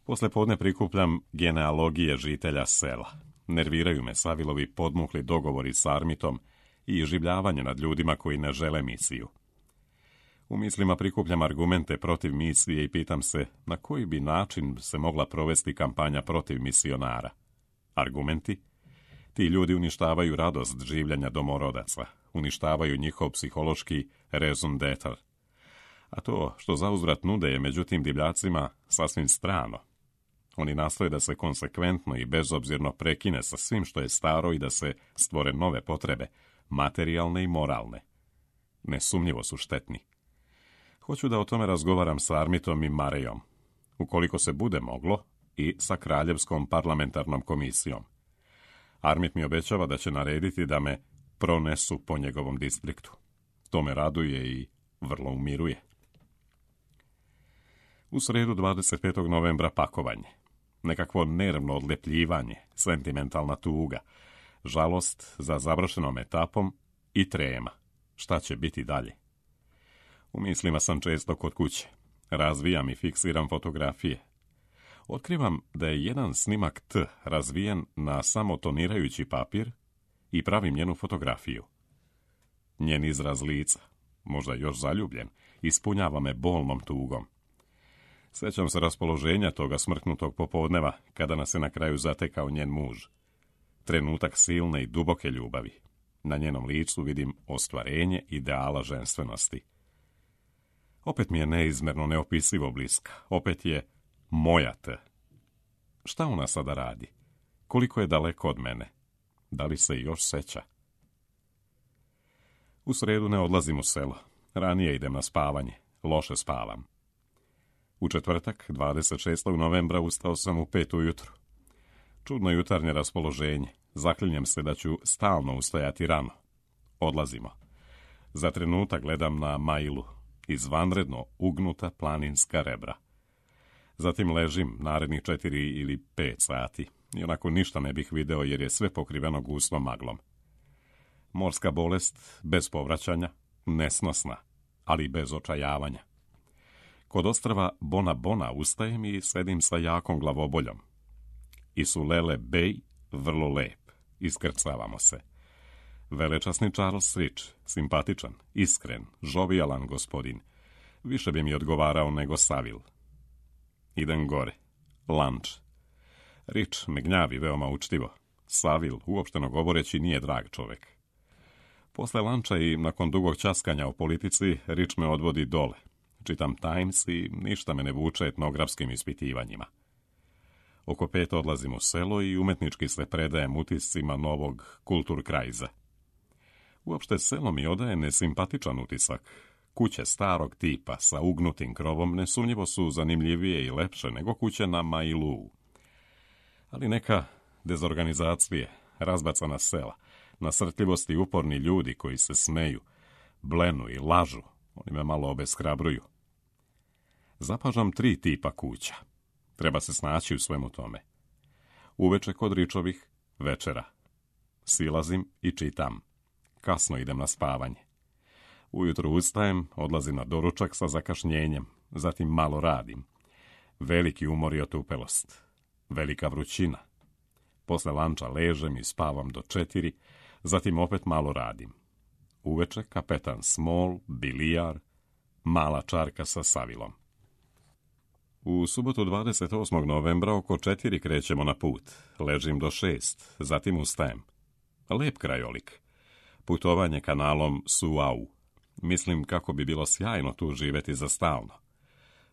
[SPEAKER 1] Posle podne prikupljam genealogije žitelja sela. Nerviraju me Savilovi podmukli dogovori s Armitom i življavanje nad ljudima koji ne žele misiju. U mislima prikupljam argumente protiv misije i pitam se na koji bi način se mogla provesti kampanja protiv misionara. Argumenti? Ti ljudi uništavaju radost življenja domorodaca, uništavaju njihov psihološki raison d'etre. A to što zauzvrat nude je međutim divljacima sasvim strano. Oni nastoje da se konsekventno i bezobzirno prekine sa svim što je staro i da se stvore nove potrebe, materijalne i moralne. Nesumnjivo su štetni. Hoću da o tome razgovaram s Armitom i Marejom, ukoliko se bude moglo, i sa Kraljevskom parlamentarnom komisijom. Armit mi obećava da će narediti da me pronesu po njegovom distriktu. To me raduje i vrlo umiruje. U sredu 25. novembra pakovanje. Nekakvo nervno odlepljivanje, sentimentalna tuga, žalost za završenom etapom i trema. Šta će biti dalje? U mislima sam često kod kuće. Razvijam i fiksiram fotografije. Otkrivam da je jedan snimak T razvijen na samo tonirajući papir i pravim njenu fotografiju. Njen izraz lica, možda još zaljubljen, ispunjava me bolnom tugom. Sjećam se raspoloženja toga smrknutog popodneva, kada nas je na kraju zatekao njen muž. Trenutak silne i duboke ljubavi. Na njenom licu vidim ostvarenje ideala ženstvenosti. Opet mi je neizmerno neopisivo bliska. Opet je moja T. Šta ona sada radi? Koliko je daleko od mene? Da li se još seća? U sredu ne odlazim u selo. Ranije idem na spavanje. Loše spavam. U četvrtak, 26. novembra, ustao sam u 5 ujutru. Čudno jutarnje raspoloženje. Zaklinjem se da ću stalno ustajati rano. Odlazimo. Za trenutak gledam na Mailu. Izvanredno ugnuta planinska rebra. Zatim ležim narednih 4 ili 5 sati. I onako ništa ne bih video jer je sve pokriveno gustom maglom. Morska bolest, bez povraćanja, nesnosna, ali bez očajavanja. Kod ostrva Bona Bona ustajem i sedim sa jakom glavoboljom. Isulele Bey, vrlo lep, iskrcavamo se. Velečasni Charles Rich, simpatičan, iskren, žovijalan gospodin. Više bi mi odgovarao nego Saville. Idem gore. Lunch. Rich me gnjavi veoma učtivo. Saville, uopšteno govoreći, nije drag čovek. Posle lanča i nakon dugog časkanja o politici, Rich me odvodi dole. Čitam Times i ništa me ne vuče etnografskim ispitivanjima. Oko 5 odlazim u selo i umetnički se predajem utiscima novog kulturkrajza. Uopšte selo mi odaje nesimpatičan utisak. Kuće starog tipa sa ugnutim krovom nesumnjivo su zanimljivije i lepše nego kuće na Mailu. Ali neka dezorganizacije, razbacana sela, nasrtljivosti i uporni ljudi koji se smeju, blenu i lažu, oni me malo obeshrabruju. Zapažam 3 tipa kuća. Treba se snaći u svemu tome. Uveče kod Ričovih, večera. Silazim i čitam. Kasno idem na spavanje. Ujutro ustajem, odlazim na doručak sa zakašnjenjem, zatim malo radim. Veliki umor i otupelost. Velika vrućina. Posle lanča ležem i spavam do 4, zatim opet malo radim. Uveče kapetan Small, bilijar, mala čarka sa Savilom. U subotu 28. novembra oko 4 krećemo na put. Ležim do 6, zatim ustajem. Lep krajolik. Putovanje kanalom Suau. Mislim kako bi bilo sjajno tu živeti za stalno.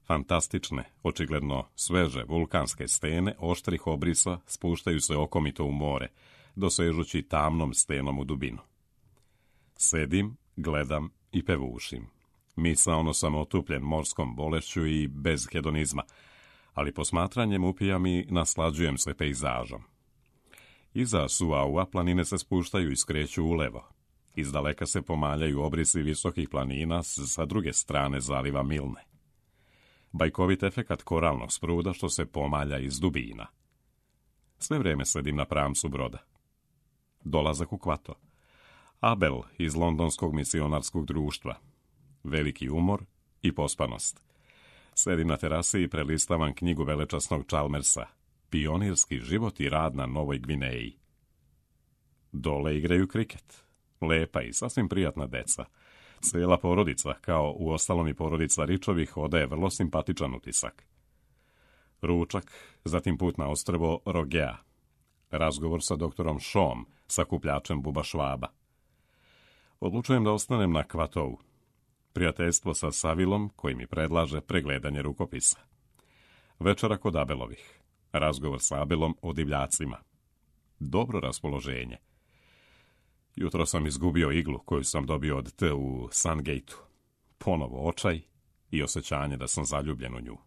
[SPEAKER 1] Fantastične, očigledno sveže vulkanske stene oštrih obrisa spuštaju se okomito u more, dosežući tamnom stenom u dubinu. Sedim, gledam i pevušim. Misaono sam otupljen morskom bolešću i bez hedonizma, ali posmatranjem upijam i naslađujem se pejzažom. Iza Suaua planine se spuštaju i skreću ulevo. Izdaleka se pomaljaju obrisi visokih planina sa druge strane zaliva Milne. Bajkovit efekat koralnog spruda što se pomalja iz dubina. Sve vreme sedim na pramcu broda. Dolazak u Kvato. Abel iz Londonskog misionarskog društva. Veliki umor i pospanost. Sedim na terasi i prelistavam knjigu velečasnog Chalmersa. Pionirski život i rad na Novoj Gvineji. Dole igraju kriket. Lepa i sasvim prijatna deca. Cijela porodica, kao u ostalom i porodica Ričovih, odaje vrlo simpatičan utisak. Ručak, zatim put na ostrvo Rogea. Razgovor sa doktorom Shawom, sakupljačem buba Švaba. Odlučujem da ostanem na Kvatovu. Prijateljstvo sa Savilom, koji mi predlaže pregledanje rukopisa. Večera kod Abelovih. Razgovor sa Abelom o divljacima. Dobro raspoloženje. Jutro sam izgubio iglu koju sam dobio od T u Sungate-u. Ponovo očaj i osjećanje da sam zaljubljen u nju.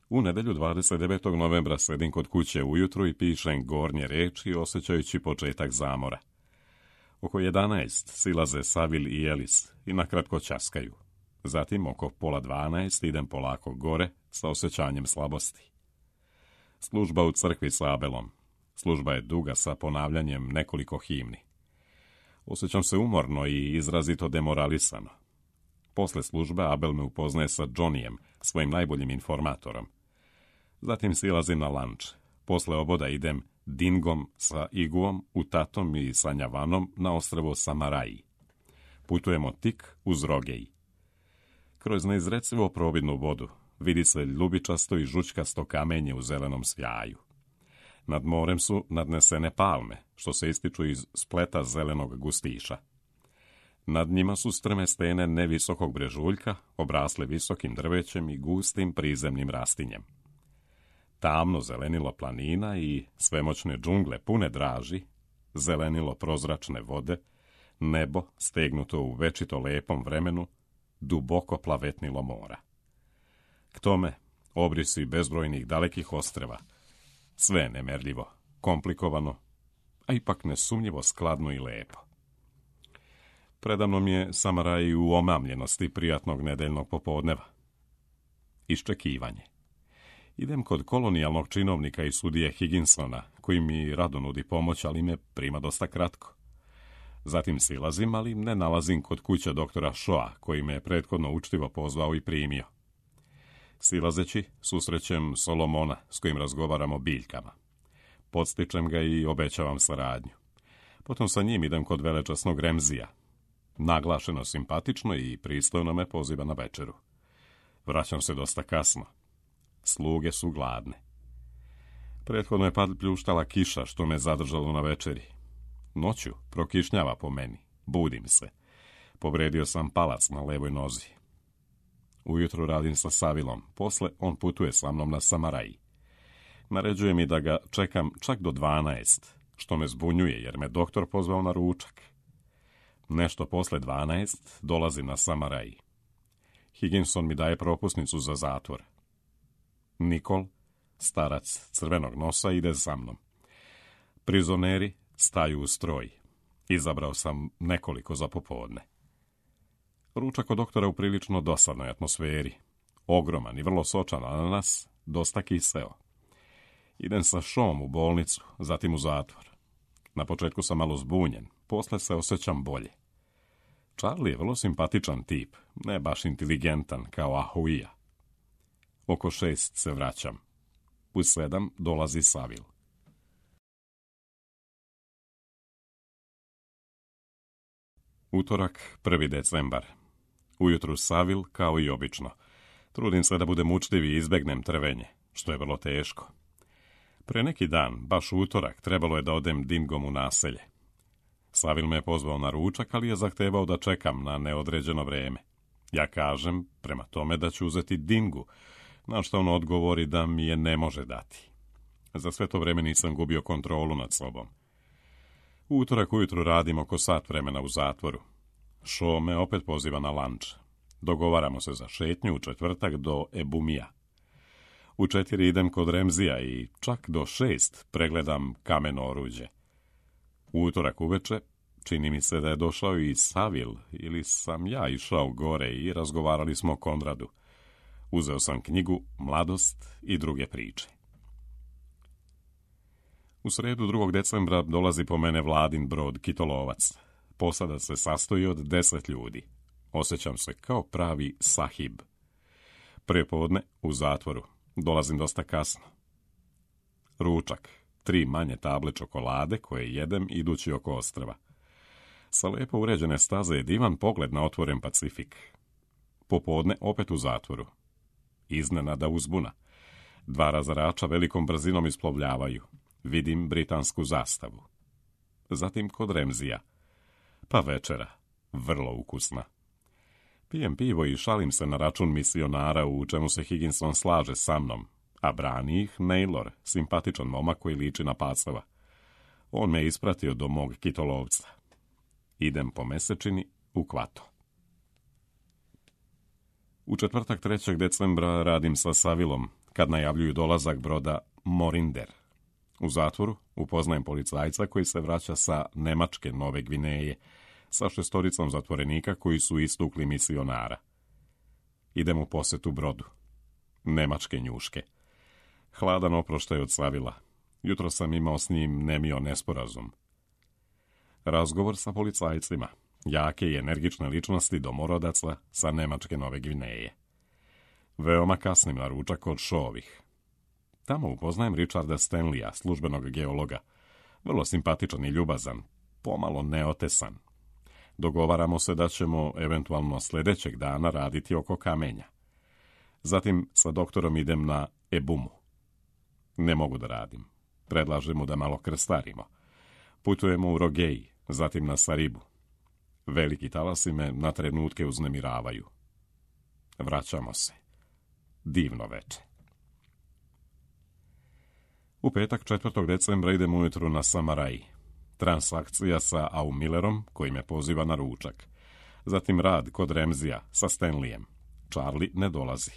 [SPEAKER 1] U nedjelju 29. novembra sedim kod kuće ujutro i pišem gornje reči osjećajući početak zamora. Oko 11 silaze Savil i Elis i nakratko ćaskaju. Zatim oko 11:30 idem polako gore sa osjećanjem slabosti. Služba u crkvi sa Abelom. Služba je duga sa ponavljanjem nekoliko himni. Osjećam se umorno i izrazito demoralisano. Posle službe Abel me upoznaje sa Johnnyjem, svojim najboljim informatorom. Zatim silazim na lanč. Posle oboda idem Dingom sa Iguom, Utatom i sa Njavanom na ostrvo Samaraji. Putujemo tik uz Rogej. Kroz neizrecivo providnu vodu vidi se ljubičasto i žučkasto kamenje u zelenom svjaju. Nad morem su nadnesene palme, što se ističu iz spleta zelenog gustiša. Nad njima su strme stene nevisokog brežuljka, obrasle visokim drvećem i gustim prizemnim rastinjem. Tamno zelenilo planina i svemoćne džungle pune draži, zelenilo prozračne vode, nebo stegnuto u večito lepom vremenu, duboko plavetnilo mora. K tome obrisi bezbrojnih dalekih ostrva, sve je nemerljivo, komplikovano, a ipak nesumnjivo skladno i lepo. Predamnom je Samaraj u omamljenosti prijatnog nedeljnog popodneva. Iščekivanje. Idem kod kolonijalnog činovnika i sudije Higginsona, koji mi rado nudi pomoć, ali me prima dosta kratko. Zatim silazim, ali ne nalazim kod kuće doktora Shawa, koji me je prethodno učtivo pozvao i primio. Silazeći, susrećem Solomona, s kojim razgovaram o biljkama. Podstičem ga i obećavam saradnju. Potom sa njim idem kod velečasnog Remzija. Naglašeno simpatično i pristojno me poziva na večeru. Vraćam se dosta kasno. Sluge su gladne. Prethodno je pljuštala kiša, što me zadržalo na večeri. Noću prokišnjava po meni. Budim se. Povredio sam palac na levoj nozi. Ujutro radim sa Savilom. Posle on putuje sa mnom na Samaraji. Naređuje mi da ga čekam čak do 12, što me zbunjuje jer me doktor pozvao na ručak. Nešto posle 12 dolazim na Samaraji. Higginson mi daje propusnicu za zatvor. Nikol, starac crvenog nosa, ide za mnom. Prizoneri staju u stroj. Izabrao sam nekoliko za popodne. Ručak od doktora u prilično dosadnoj atmosferi. Ogroman i vrlo sočan ananas, dosta kiseo. Idem sa Shawom u bolnicu, zatim u zatvor. Na početku sam malo zbunjen, posle se osjećam bolje. Charlie je vrlo simpatičan tip, ne baš inteligentan kao Ahuija. Oko 6 se vraćam. U 7 dolazi Savil. Utorak, 1. decembar. Ujutru Savil, kao i obično. Trudim se da budem učtiv i izbegnem trvenje, što je vrlo teško. Pre neki dan, baš u utorak, trebalo je da odem Dingom u naselje. Savil me je pozvao na ručak, ali je zahtevao da čekam na neodređeno vreme. Ja kažem, prema tome, da ću uzeti Dingu, na što on odgovori da mi je ne može dati. Za sve to vreme nisam gubio kontrolu nad sobom. U utorak ujutru radim oko sat vremena u zatvoru. Shaw me opet poziva na lanč. Dogovaramo se za šetnju u četvrtak do Ebumija. U 4 idem kod Remzija i čak do 6 pregledam kameno oruđe. U utorak uveče čini mi se da je došao i Savil, ili sam ja išao gore i razgovarali smo o Konradu. Uzeo sam knjigu Mladost i druge priče. U sredu 2. decembra dolazi po mene Vladin brod Kitolovac. Posada se sastoji od 10 ljudi. Osjećam se kao pravi sahib. Prepodne u zatvoru. Dolazim dosta kasno. Ručak. 3 manje table čokolade koje jedem idući oko ostrva. Sa lijepo uređene staze je divan pogled na otvoren Pacifik. Popodne opet u zatvoru. Iznenada uzbuna. 2 razarača velikom brzinom isplovljavaju. Vidim britansku zastavu. Zatim kod Remzija. Pa večera. Vrlo ukusna. Pijem pivo i šalim se na račun misionara, u čemu se Higginson slaže sa mnom, a brani ih Naylor, simpatičan momak koji liči na pacova. On me ispratio do mog kitolovca. Idem po mesečini u Kvato. U četvrtak 3. decembra radim sa Savilom, kad najavljuju dolazak broda Morinder. U zatvoru upoznajem policajca koji se vraća sa Nemačke Nove Gvineje, sa 6 zatvorenika koji su istukli misionara. Idem u posjetu brodu. Nemačke njuške. Hladan oproštaj od Savila. Jutro sam imao s njim nemio nesporazum. Razgovor sa policajcima. Jake i energične ličnosti domorodaca sa Nemačke Nove Gvineje. Veoma kasnim na ručak kod Šovih. Tamo upoznajem Richarda Stanleya, službenog geologa. Vrlo simpatičan i ljubazan, pomalo neotesan. Dogovaramo se da ćemo eventualno sljedećeg dana raditi oko kamenja. Zatim sa doktorom idem na Ebumu. Ne mogu da radim. Predlažem mu da malo krstarimo. Putujemo u Rogeji, zatim na Saribu. Veliki talasi me na trenutke uznemiravaju. Vraćamo se. Divno veče. U petak 4. decembra idem ujutru na Samaraji. Transakcija sa Aumillerom, koji me poziva na ručak. Zatim rad kod Remzija sa Stanleyem. Charlie ne dolazi.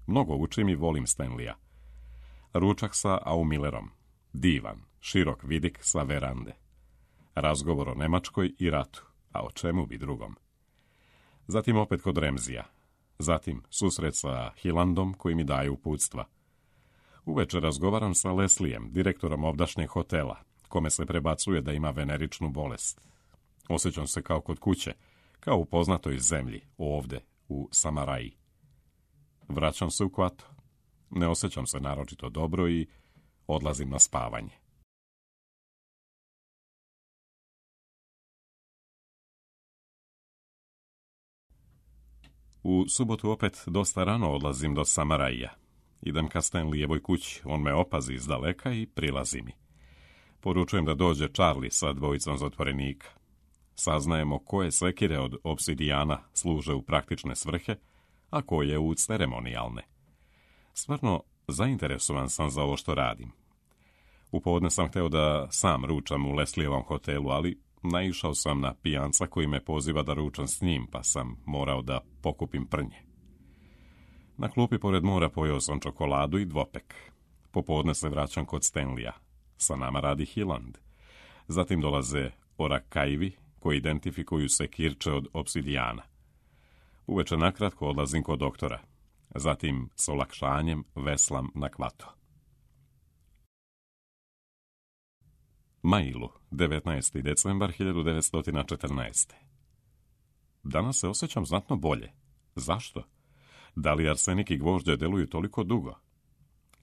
[SPEAKER 1] Mnogo učim i volim Stanleya. Ručak sa Aumillerom. Divan, širok vidik sa verande. Razgovor o Nemačkoj i ratu, a o čemu bi drugom. Zatim opet kod Remzija. Zatim susret sa Hillandom koji mi daje uputstva. Uveče razgovaram sa Leslijem, direktorom ovdašnjeg hotela, kome se prebacuje da ima veneričnu bolest. Osjećam se kao kod kuće, kao u poznatoj zemlji, ovde, u Samaraji. Vraćam se u Kvato. Ne osjećam se naročito dobro i odlazim na spavanje. U subotu opet dosta rano odlazim do Samarajija. Idem ka Stanleyevoj kući, on me opazi iz daleka i prilazi mi. Poručujem da dođe Charlie sa 2 zatvorenika. Saznajemo koje sekire od obsidijana služe u praktične svrhe, a koje u ceremonijalne. Stvarno, zainteresovan sam za ovo što radim. U podne sam hteo da sam ručam u Leslijevom hotelu, ali naišao sam na pijanca koji me poziva da ručam s njim, pa sam morao da pokupim prnje. Na klupi pored mora pojeo sam čokoladu i dvopek. Popodne se vraćam kod Stanleya. Sa nama radi Hilland. Zatim dolaze Orakajvi, koji identifikuju sekirče od obsidijana. Uveče nakratko odlazim kod doktora. Zatim s olakšanjem veslam na Kvato. Mailu, 19. decembar 1914. Danas se osjećam znatno bolje. Zašto? Da li arsenik i gvožđe deluju toliko dugo?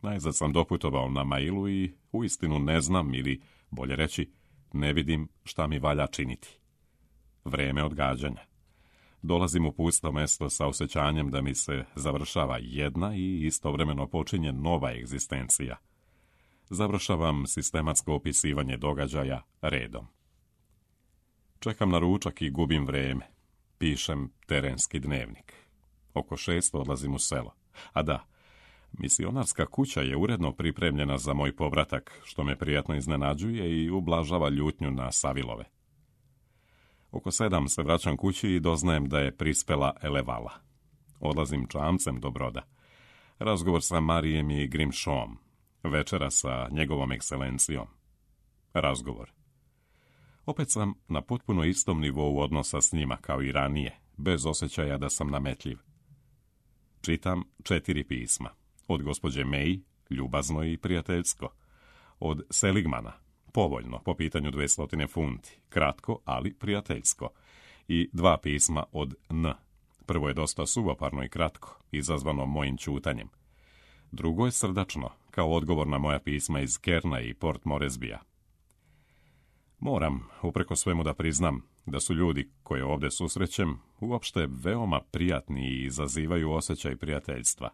[SPEAKER 1] Najzad sam doputovao na Mailu i uistinu ne znam, ili bolje reći, ne vidim šta mi valja činiti. Vreme odgađanja. Dolazim u pusto mesto sa osjećanjem da mi se završava jedna i istovremeno počinje nova egzistencija. Završavam sistematsko opisivanje događaja redom. Čekam na ručak i gubim vreme. Pišem terenski dnevnik. Oko 6 odlazim u selo. A da, misionarska kuća je uredno pripremljena za moj povratak, što me prijatno iznenađuje i ublažava ljutnju na Savilove. Oko 7 se vraćam kući i doznajem da je prispela Elevala. Odlazim čamcem do broda. Razgovor sa Marijem i Grimshawom. Večera sa njegovom ekscelencijom. Razgovor. Opet sam na potpuno istom nivou odnosa s njima kao i ranije, bez osjećaja da sam nametljiv. Čitam 4 pisma. Od gospođe May, ljubazno i prijateljsko. Od Seligmana, povoljno, po pitanju 200 funti, kratko, ali prijateljsko. I 2 pisma od N. Prvo je dosta suvoparno i kratko, izazvano mojim ćutanjem. Drugo je srdačno, kao odgovor na moja pisma iz Kerna i Port Moresbija. Moram, upreko svemu, da priznam da su ljudi koje ovdje susrećem uopšte veoma prijatni i izazivaju osjećaj prijateljstva.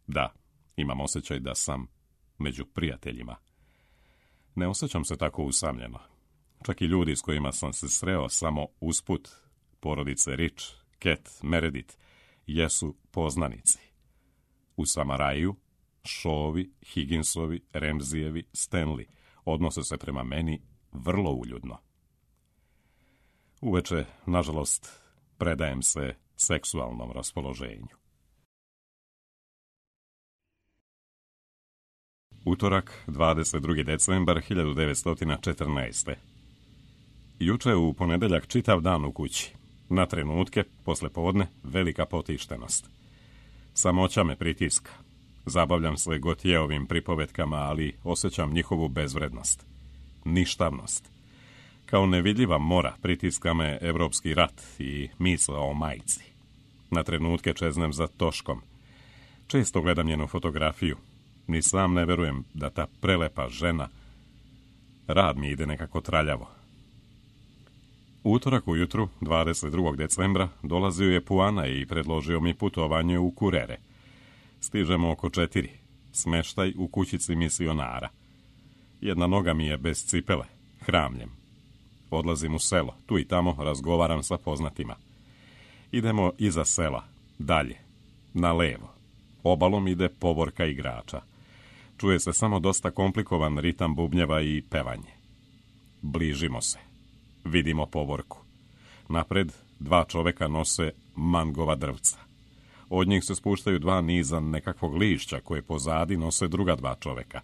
[SPEAKER 1] Da, imam osjećaj da sam među prijateljima. Ne osjećam se tako usamljeno. Čak i ljudi s kojima sam se sreo samo usput, porodice Rich, Cat, Meredith, jesu poznanici. U Samaraju, Shawovi, Higginsovi, Ramseyevi, Stanley odnose se prema meni vrlo uljudno. Uveče, nažalost, predajem se seksualnom raspoloženju. Utorak, 22. decembar 1914. Juče u ponedeljak čitav dan u kući. Na trenutke, poslepodne, velika potištenost. Samoća me pritiska. Zabavljam se Gotjeovim pripovetkama, ali osjećam njihovu bezvrednost. Ništavnost. Kao nevidljiva mora pritiska me evropski rat i misao o majci. Na trenutke čeznem za Toškom. Često gledam njenu fotografiju. Ni sam ne verujem da ta prelepa žena... Rad mi ide nekako traljavo. Utorak ujutru, 22. decembra, dolazio je Puana i predložio mi putovanje u Kurere. Stižemo oko 4. Smeštaj u kućici misionara. Jedna noga mi je bez cipele, hramljem. Odlazim u selo, tu i tamo razgovaram sa poznatima. Idemo iza sela, dalje, na levo. Obalom ide povorka igrača. Čuje se samo dosta komplikovan ritam bubnjeva i pevanje. Bližimo se. Vidimo povorku. Napred 2 čoveka nose mangova drvca. Od njih se spuštaju 2 niza nekakvog lišća koje pozadi nose druga 2 čoveka.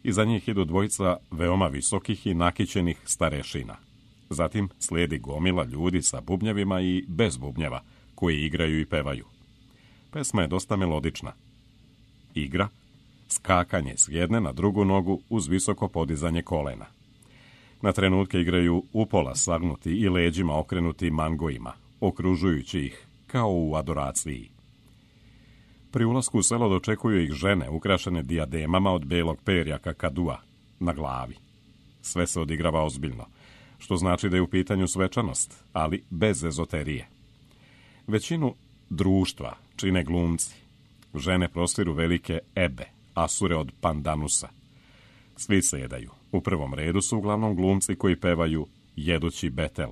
[SPEAKER 1] Iza njih idu 2 veoma visokih i nakićenih starešina. Zatim slijedi gomila ljudi sa bubnjevima i bez bubnjeva, koji igraju i pevaju. Pesma je dosta melodična. Igra, skakanje s jedne na drugu nogu uz visoko podizanje kolena. Na trenutke igraju upola sagnuti i leđima okrenuti mangojima, okružujući ih kao u adoraciji. Pri ulasku u selo dočekuju ih žene ukrašene dijademama od belog perja kakadua na glavi. Sve se odigrava ozbiljno, što znači da je u pitanju svečanost, ali bez ezoterije. Većinu društva čine glumci. Žene prostiru velike ebe, asure od pandanusa. Svi se jedaju. U prvom redu su uglavnom glumci koji pevaju jedući betel.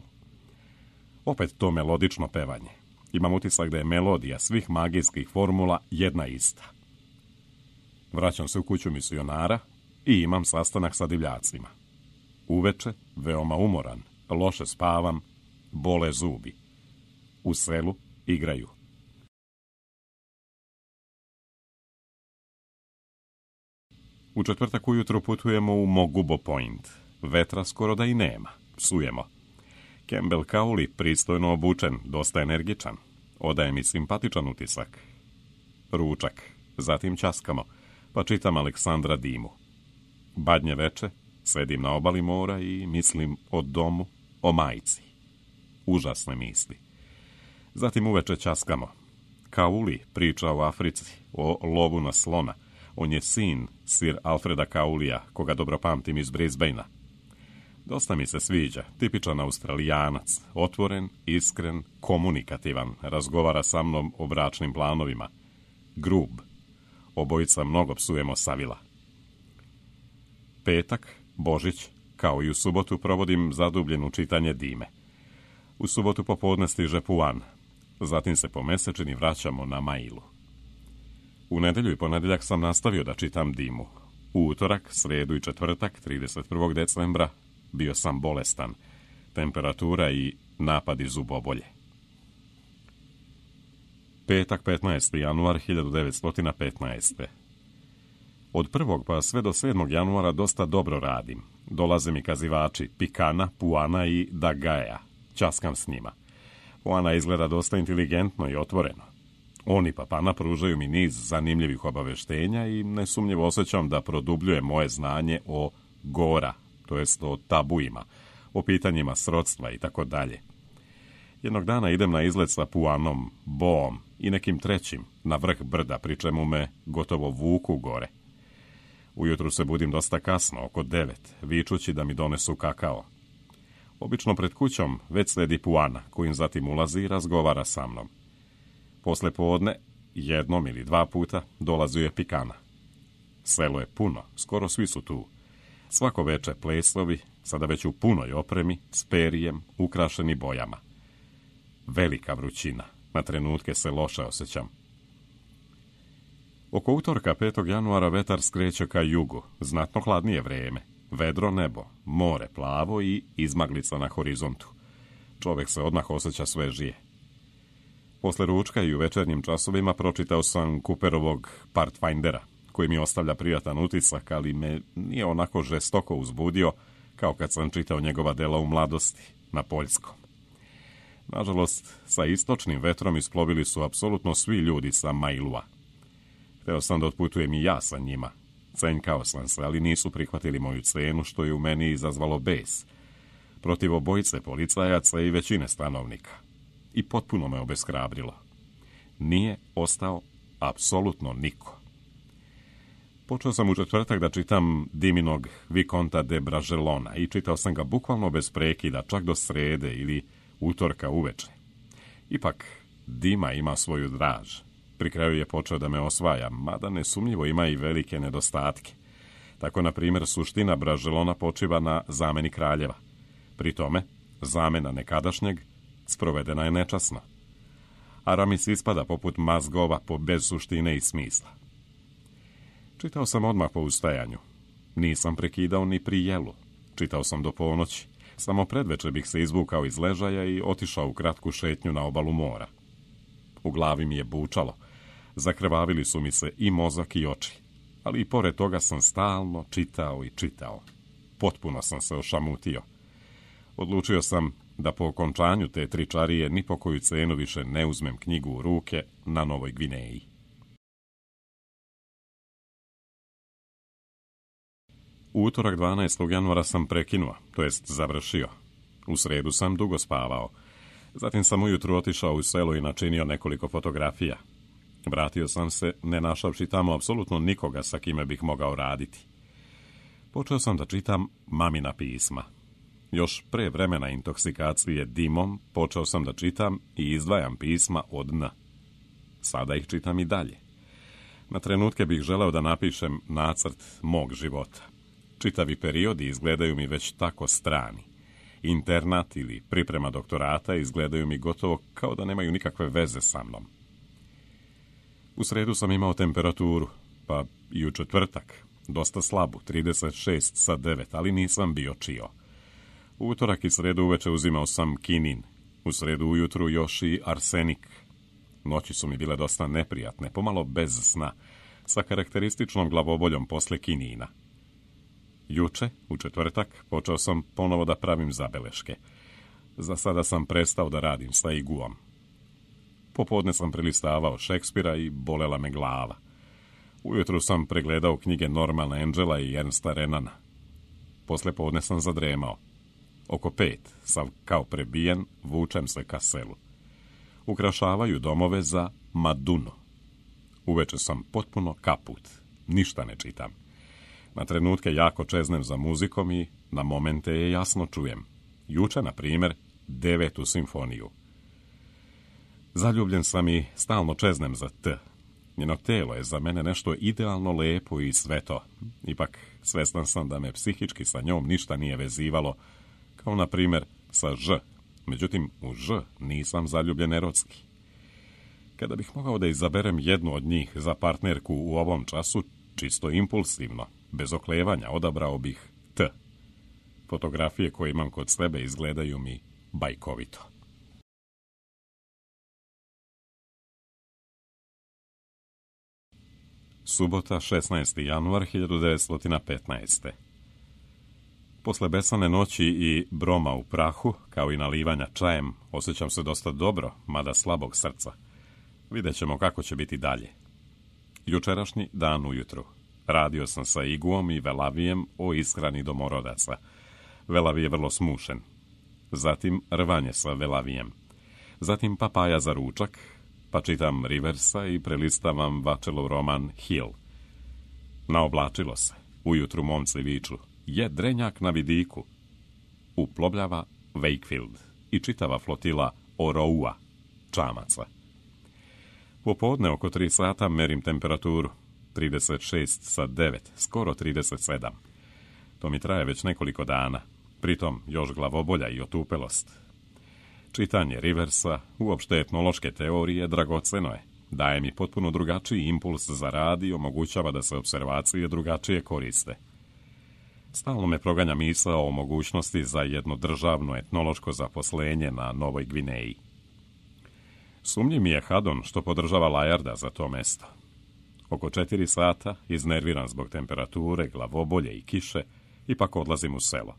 [SPEAKER 1] Opet to melodično pevanje. Imam utisak da je melodija svih magijskih formula jedna ista. Vraćam se u kuću misionara i imam sastanak sa divljacima. Uveče, veoma umoran, loše spavam, bole zubi. U selu igraju. U četvrtak ujutro putujemo u Mogubo Point. Vetra skoro da i nema. Psujemo. Campbell Cowley pristojno obučen, dosta energičan. Odaje mi simpatičan utisak. Ručak. Zatim ćaskamo, pa čitam Aleksandra Dimu. Badnje veče, sedim na obali mora i mislim o domu, o majci. Užasne misli. Zatim uveče ćaskamo. Cowley priča o Africi, o lovu na slona. On je sin Sir Alfreda Cowleya, koga dobro pamtim iz Brisbanea. Dosta mi se sviđa, tipičan Australijanac, otvoren, iskren, komunikativan, razgovara sa mnom o bračnim planovima. Grub. Obojica mnogo psujemo Savila. Petak, Božić, kao i u subotu provodim zadubljeno čitanje Dime. U subotu popodne stiže Puan. Zatim se po mesečini vraćamo na Mailu. U nedelju i ponedjeljak sam nastavio da čitam Dimu. U utorak, sredu i četvrtak, 31. decembra, bio sam bolestan. Temperatura i napadi zubobolje. Petak, 15. januar 1915. Od 1. pa sve do 7. januara dosta dobro radim. Dolaze mi kazivači Pikana, Puana i Dagaja. Ćaskam s njima. Puana izgleda dosta inteligentno i otvoreno. Oni Papana pružaju mi niz zanimljivih obaveštenja i nesumnjivo osjećam da produbljuje moje znanje o gora, to jest o tabuima, o pitanjima srodstva i tako dalje. Jednog dana idem na izlet sa Puanom, Boom i nekim trećim na vrh brda, pri čemu me gotovo vuku gore. Ujutru se budim dosta kasno, oko 9, vičući da mi donesu kakao. Obično pred kućom već sledi Puana, kojim zatim ulazi i razgovara sa mnom. Posle podne, jednom ili dva puta, dolazuje Pikana. Selo je puno, skoro svi su tu. Svako veče pleslovi, sada već u punoj opremi, s perijem, ukrašeni bojama. Velika vrućina, na trenutke se loše osjećam. Oko utorka 5. januara vetar skreće ka jugu, znatno hladnije vreme, vedro nebo, more plavo i izmaglica na horizontu. Čovjek se odmah osjeća svežije. Posle ručka i u večernjim časovima pročitao sam Cooperovog Pathfindera, koji mi ostavlja prijatan utisak, ali me nije onako žestoko uzbudio kao kad sam čitao njegova dela u mladosti, na poljskom. Nažalost, sa istočnim vetrom isplovili su apsolutno svi ljudi sa Mailua. Hteo sam da otputujem i ja sa njima. Cenjkao sam se, ali nisu prihvatili moju cenu, što je u meni izazvalo bes. Protiv obojice policajaca i većine stanovnika. I potpuno me obeshrabrilo. Nije ostao apsolutno niko. Počeo sam u četvrtak da čitam Diminog Vikonta de Bragelona i čitao sam ga bukvalno bez prekida, čak do srede ili utorka uveče. Ipak, Dima ima svoju draž. Pri kraju je počeo da me osvaja, mada nesumnjivo ima i velike nedostatke. Tako, na primjer, suština Bragelona počiva na zameni kraljeva. Pri tome, zamena nekadašnjeg sprovedena je nečasno. Aramis ispada poput mazgova bez suštine i smisla. Čitao sam odmah po ustajanju. Nisam prekidao ni pri jelu. Čitao sam do ponoći. Samo predveče bih se izvukao iz ležaja i otišao u kratku šetnju na obalu mora. U glavi mi je bučalo. Zakrvavili su mi se i mozak i oči. Ali i pored toga sam stalno čitao i čitao. Potpuno sam se ošamutio. Odlučio sam da po okončanju te tričarije ni po koju cenu više ne uzmem knjigu u ruke na Novoj Gvineji. U utorak 12. januara sam prekinuo, to jest završio. U sredu sam dugo spavao. Zatim sam ujutru otišao u selo i načinio nekoliko fotografija. Vratio sam se, ne našavši tamo apsolutno nikoga sa kime bih mogao raditi. Počeo sam da čitam mamina pisma. Još pre vremena intoksikacije dimom počeo sam da čitam i izdvajam pisma od N. Sada ih čitam i dalje. Na trenutke bih želeo da napišem nacrt mog života. Čitavi periodi izgledaju mi već tako strani. Internat ili priprema doktorata izgledaju mi gotovo kao da nemaju nikakve veze sa mnom. U sredu sam imao temperaturu, pa i u četvrtak, dosta slabu, 36,9, ali nisam bio čio. U utorak i sredu uveče uzimao sam kinin, u sredu ujutru još i arsenik. Noći su mi bile dosta neprijatne, pomalo bez sna, sa karakterističnom glavoboljom posle kinina. Juče, u četvrtak, počeo sam ponovo da pravim zabeleške. Za sada sam prestao da radim sa iguom. Popodne sam prelistavao Šekspira i bolela me glava. Ujutru sam pregledao knjige Normana Angela i Ernsta Renana. Posle podne sam zadremao. Oko 5, sav kao prebijen, vučem se ka selu. Ukrašavaju domove za Madunu. Uveče sam potpuno kaput. Ništa ne čitam. Na trenutke jako čeznem za muzikom i na momente je jasno čujem. Juče, na primjer, 9. simfoniju. Zaljubljen sam i stalno čeznem za T. Njeno telo je za mene nešto idealno lepo i sveto. Ipak, svestan sam da me psihički sa njom ništa nije vezivalo, kao na primjer sa Ž. Međutim, u Ž nisam zaljubljen erotski. Kada bih mogao da izaberem jednu od njih za partnerku u ovom času, čisto impulsivno, bez oklevanja, odabrao bih T. Fotografije koje imam kod sebe izgledaju mi bajkovito. Subota, 16. januar 1915. Posle besane noći i broma u prahu, kao i nalivanja čajem, osjećam se dosta dobro, mada slabog srca. Vidjet ćemo kako će biti dalje. Jučerašnji dan ujutru. Radio sam sa Iguom i Velavijem o ishrani domorodaca. Velavi je vrlo smušen. Zatim rvanje sa Velavijem. Zatim papaja za ručak, pa čitam Riversa i prelistavam Vačelov roman Hill. Naoblačilo se. Ujutru momci viču, je drenjak na vidiku. Uplovljava Wakefield i čitava flotila Oroua, čamaca. Popodne oko 3 sata merim temperaturu, 36,9, skoro 37. To mi traje već nekoliko dana, pritom još glavobolja i otupelost. Čitanje Riversa, uopšte etnološke teorije, dragoceno je. Daje mi potpuno drugačiji impuls za rad i omogućava da se observacije drugačije koriste. Stalno me proganja misao o mogućnosti za jedno državno etnološko zaposlenje na Novoj Gvineji. Sumnjiv mi je Haddon što podržava Layarda za to mesto. Oko 4 sata, iznerviran zbog temperature, glavobolje i kiše, ipak odlazim u selo.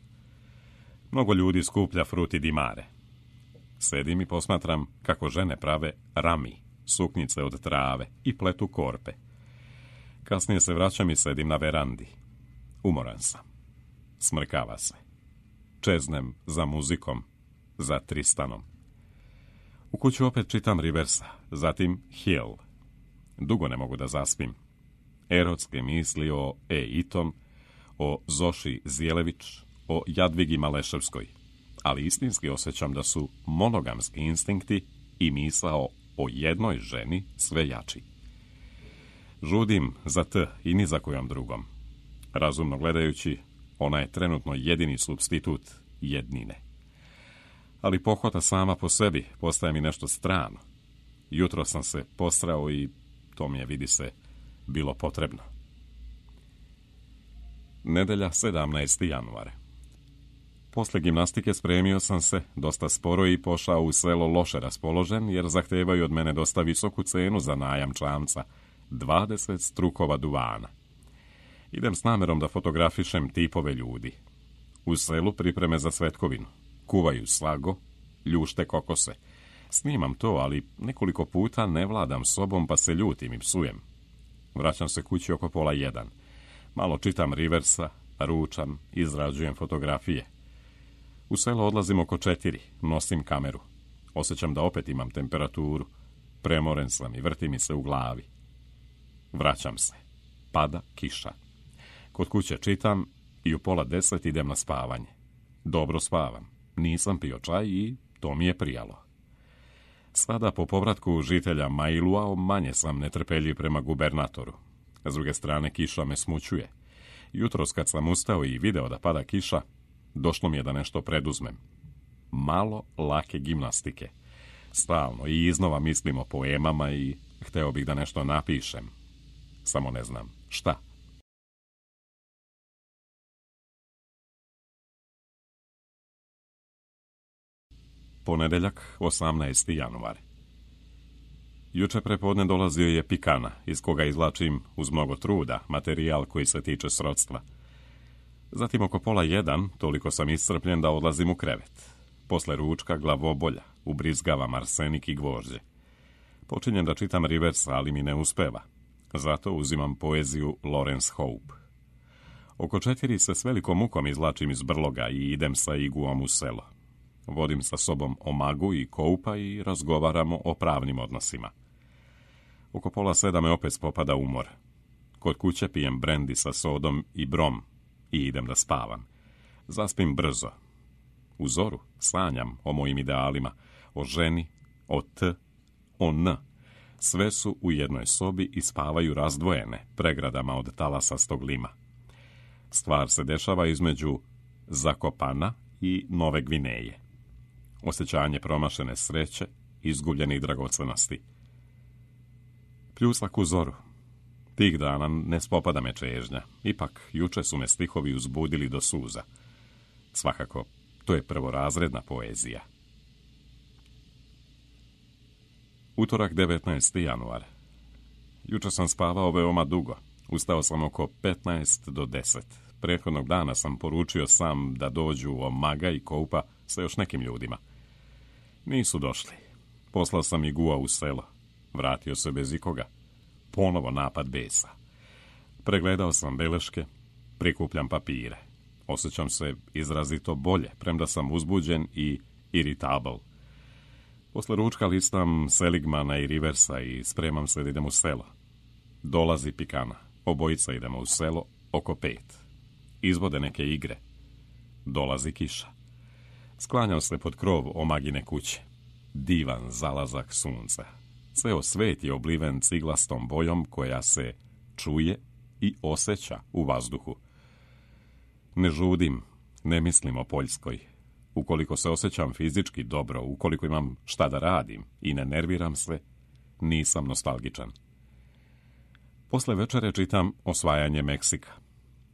[SPEAKER 1] Mnogo ljudi skuplja fruti di mare. Sedim i posmatram kako žene prave rami, suknjice od trave i pletu korpe. Kasnije se vraćam i sedim na verandi. Umoran sam. Smrkava se. Čeznem za muzikom, za Tristanom. U kuću opet čitam Riversa, zatim Hill. Dugo ne mogu da zaspim. Erotske misli o Itom, o Zoši Zijelević, o Jadvigi Maleševskoj, ali istinski osjećam da su monogamski instinkti i misao o jednoj ženi sve jači. Žudim za T i ni za kojom drugom. Razumno gledajući, ona je trenutno jedini supstitut jednine. Ali pohota sama po sebi postaje mi nešto strano. Jutro sam se posrao i to mi je, vidi se, bilo potrebno. Nedelja, 17. januar. Posle gimnastike spremio sam se, dosta sporo, i pošao u selo loše raspoložen, jer zahtevaju od mene dosta visoku cenu za najam čamca, 20 strukova duvana. Idem s namerom da fotografišem tipove ljudi. U selu pripreme za svetkovinu. Kuvaju slago, ljušte kokose. Snimam to, ali nekoliko puta ne vladam sobom, pa se ljutim i psujem. Vraćam se kući oko 12:30. Malo čitam Riversa, ručam, izrađujem fotografije. U selo odlazim oko 4, nosim kameru. Osjećam da opet imam temperaturu. Premoren sam i vrti mi se u glavi. Vraćam se. Pada kiša. Kod kuće čitam i u 9:30 idem na spavanje. Dobro spavam. Nisam pio čaj i to mi je prijalo. Sada po povratku žitelja Mailua manje sam netrpeljiv prema gubernatoru. S druge strane, kiša me smućuje. Jutros kad sam ustao i video da pada kiša, došlo mi je da nešto preduzmem. Malo lake gimnastike. Stalno i iznova mislim o poemama i hteo bih da nešto napišem. Samo ne znam šta. Ponedeljak, 18. januar. Juče prepodne dolazio je Pikana, iz koga izvlačim, uz mnogo truda, materijal koji se tiče srodstva. Zatim oko 12:30, toliko sam iscrpljen da odlazim u krevet. Posle ručka glavobolja, ubrizgavam arsenik i gvožđe. Počinjem da čitam Riversa, ali mi ne uspeva. Zato uzimam poeziju Lawrence Hope. Oko 4 se s velikom mukom izvlačim iz brloga i idem sa Iguom u selo. Vodim sa sobom Omagu i Koupa i razgovaramo o pravnim odnosima. Oko 6:30 me opet spopada umor. Kod kuće pijem brendi sa sodom i brom i idem da spavam. Zaspim brzo. U zoru sanjam o mojim idealima, o ženi, o T, o N. Sve su u jednoj sobi i spavaju razdvojene pregradama od talasastog lima. Stvar se dešava između Zakopana i Nove Gvineje. Osjećanje promašene sreće, izgubljenih dragocenosti. Pljusak u zoru. Tih dana ne spopada me čežnja. Ipak, juče su me stihovi uzbudili do suza. Svakako, to je prvorazredna poezija. Utorak, 19. januar. Juče sam spavao veoma dugo. Ustao sam oko 15 do 10. Prethodnog dana sam poručio sam da dođu Omaga i Koupa sa još nekim ljudima. Nisu došli. Poslao sam Igua u selo. Vratio se bez ikoga. Ponovo napad besa. Pregledao sam beleške, prikupljam papire. Osjećam se izrazito bolje, premda sam uzbuđen i irritable. Posle ručka listam Seligmana i Riversa i spremam se da idem u selo. Dolazi Pikana. Obojica idemo u selo Oko 5. Izvode neke igre. Dolazi kiša. Sklanjam se pod krov omagine kuće. Divan zalazak sunca. Ceo svet je obliven ciglastom bojom koja se čuje i osjeća u vazduhu. Ne žudim, ne mislim o Poljskoj. Ukoliko se osjećam fizički dobro, ukoliko imam šta da radim i ne nerviram se, nisam nostalgičan. Posle večere čitam Osvajanje Meksika.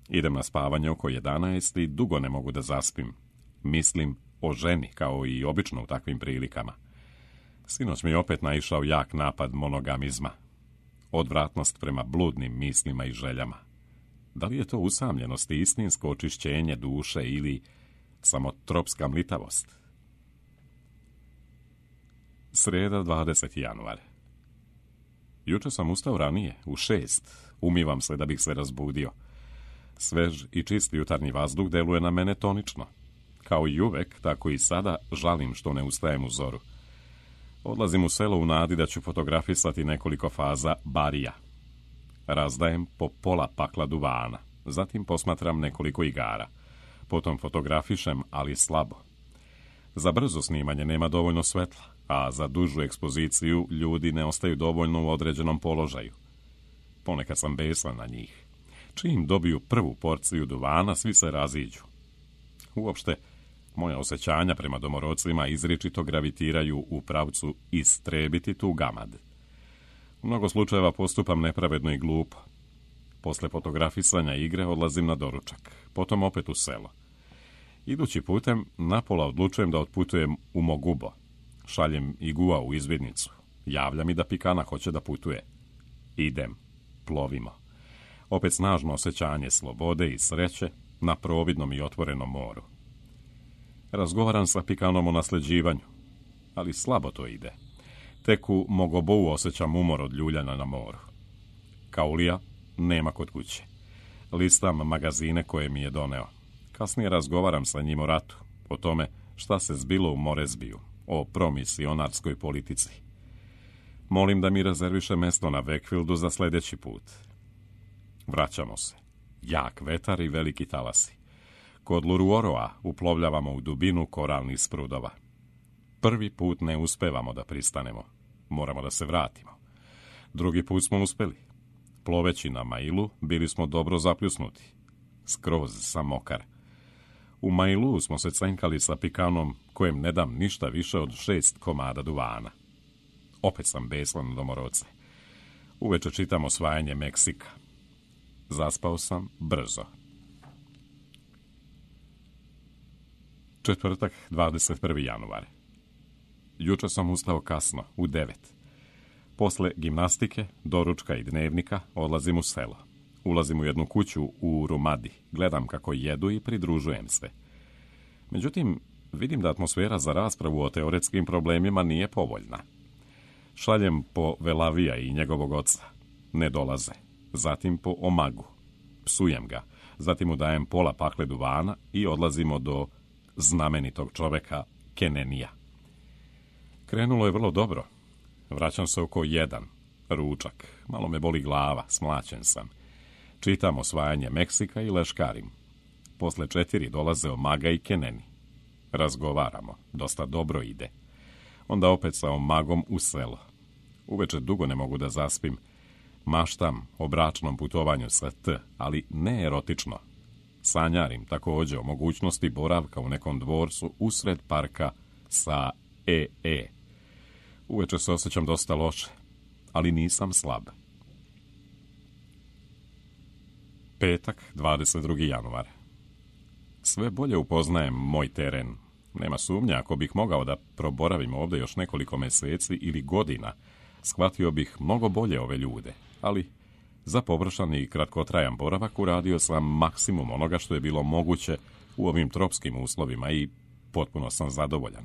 [SPEAKER 1] Idem na spavanje oko 11 i dugo ne mogu da zaspim. Mislim o ženi, kao i obično u takvim prilikama. Sinoć mi je opet naišao jak napad monogamizma. Odvratnost prema bludnim mislima i željama. Da li je to usamljenost i istinsko očišćenje duše ili samo tropska mlitavost? Sreda, 20. januar. Juče sam ustao ranije, u 6. Umivam se da bih se razbudio. Svež i čist jutarnji vazduh deluje na mene tonično. Kao i uvek, tako i sada žalim što ne ustajem u zoru. Odlazim u selo u nadi da ću fotografisati nekoliko faza barija. Razdajem po pola pakla duvana, zatim posmatram nekoliko igara. Potom fotografišem, ali slabo. Za brzo snimanje nema dovoljno svetla, a za dužu ekspoziciju ljudi ne ostaju dovoljno u određenom položaju. Ponekad sam besan na njih. Čim dobiju prvu porciju duvana, svi se raziđu. Uopšte, moja osjećanja prema domorodcima izričito gravitiraju u pravcu istrebiti tu gamad. U mnogo slučajeva postupam nepravedno i glupo. Posle fotografisanja igre odlazim na doručak, potom opet u selo. Idući putem, napola odlučujem da otputujem u Mogubo. Šaljem Igua u izvidnicu. Javlja mi da Pikana hoće da putuje. Idem. Plovimo. Opet snažno osjećanje slobode i sreće na providnom i otvorenom moru. Razgovaram sa Pikanom o nasljeđivanju, ali slabo to ide. Tek u Mogobou osjećam umor od ljuljana na moru. Kaulija nema kod kuće. Listam magazine koje mi je doneo. Kasnije razgovaram sa njim o ratu, o tome šta se zbilo u Morezbiju, o promisionarskoj politici. Molim da mi rezerviše mesto na Wakefieldu za sljedeći put. Vraćamo se. Jak vetar i veliki talasi. Kod Luruoroa uplovljavamo u dubinu koralnih sprudova. Prvi put ne uspevamo da pristanemo. Moramo da se vratimo. Drugi put smo uspeli. Ploveći na Mailu bili smo dobro zapljusnuti. Skroz sam mokar. U Mailu smo se cenkali sa Pikanom, kojem ne dam ništa više od 6 komada duvana. Opet sam besan domorodce. Uveče čitam Osvajanje Meksika. Zaspao sam brzo. Četvrtak, 21. januar. Juče sam ustao kasno, u 9. Posle gimnastike, doručka i dnevnika odlazim u selo. Ulazim u jednu kuću u Rumadi, gledam kako jedu i pridružujem se. Međutim, vidim da atmosfera za raspravu o teoretskim problemima nije povoljna. Šaljem po Velavija i njegovog oca. Ne dolaze. Zatim po Omagu. Psujem ga. Zatim mu dajem pola pakle duvana i odlazimo do znamenitog čoveka Kenenija. Krenulo je vrlo dobro. Vraćam se oko 1. Ručak. Malo me boli glava, smlaćen sam. Čitam Osvajanje Meksika i leškarim. Posle 4 dolaze Omaga i Keneni. Razgovaramo. Dosta dobro ide. Onda opet sa Omagom u selo. Uveče dugo ne mogu da zaspim. Maštam o bračnom putovanju sa T, ali ne erotično. Sanjarim također o mogućnosti boravka u nekom dvorcu usred parka sa EE. Uveče se osjećam dosta loše, ali nisam slab. Petak, 22. januar. Sve bolje upoznajem moj teren. Nema sumnja, ako bih mogao da proboravim ovdje još nekoliko meseci ili godina, shvatio bih mnogo bolje ove ljude, ali za površan i kratkotrajan boravak uradio sam maksimum onoga što je bilo moguće u ovim tropskim uslovima i potpuno sam zadovoljan.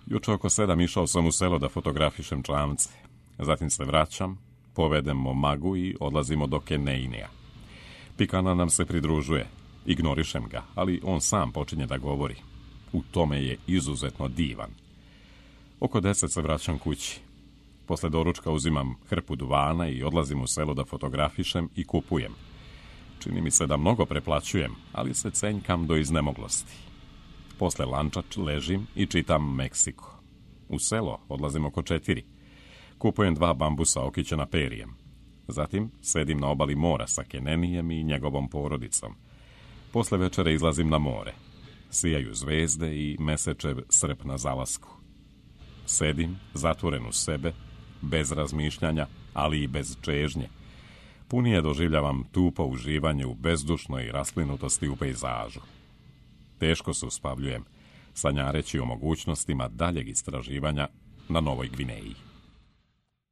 [SPEAKER 1] Juče oko 7 išao sam u selo da fotografišem čamce. Zatim se vraćam, povedem Omagu i odlazimo do Keneinija. Pikana nam se pridružuje. Ignorišem ga, ali on sam počinje da govori. U tome je izuzetno divan. Oko 10 se vraćam kući. Posle doručka uzimam hrpu duvana i odlazim u selo da fotografišem i kupujem. Čini mi se da mnogo preplaćujem, ali se cenjkam do iznemoglosti. Posle lanča ležim i čitam Meksiko. U selo odlazim oko 4. Kupujem 2 bambusa okićena perijem. Zatim sedim na obali mora sa Kenenijem i njegovom porodicom. Posle večere izlazim na more. Sijaju zvezde i mesečev srp na zalasku. Sedim, zatvoren u sebe, bez razmišljanja, ali i bez čežnje. Punije doživljavam tupo uživanje u bezdušnoj rasplinutosti u pejzažu. Teško se uspavljujem, sanjareći o mogućnostima daljeg istraživanja na Novoj Gvineji.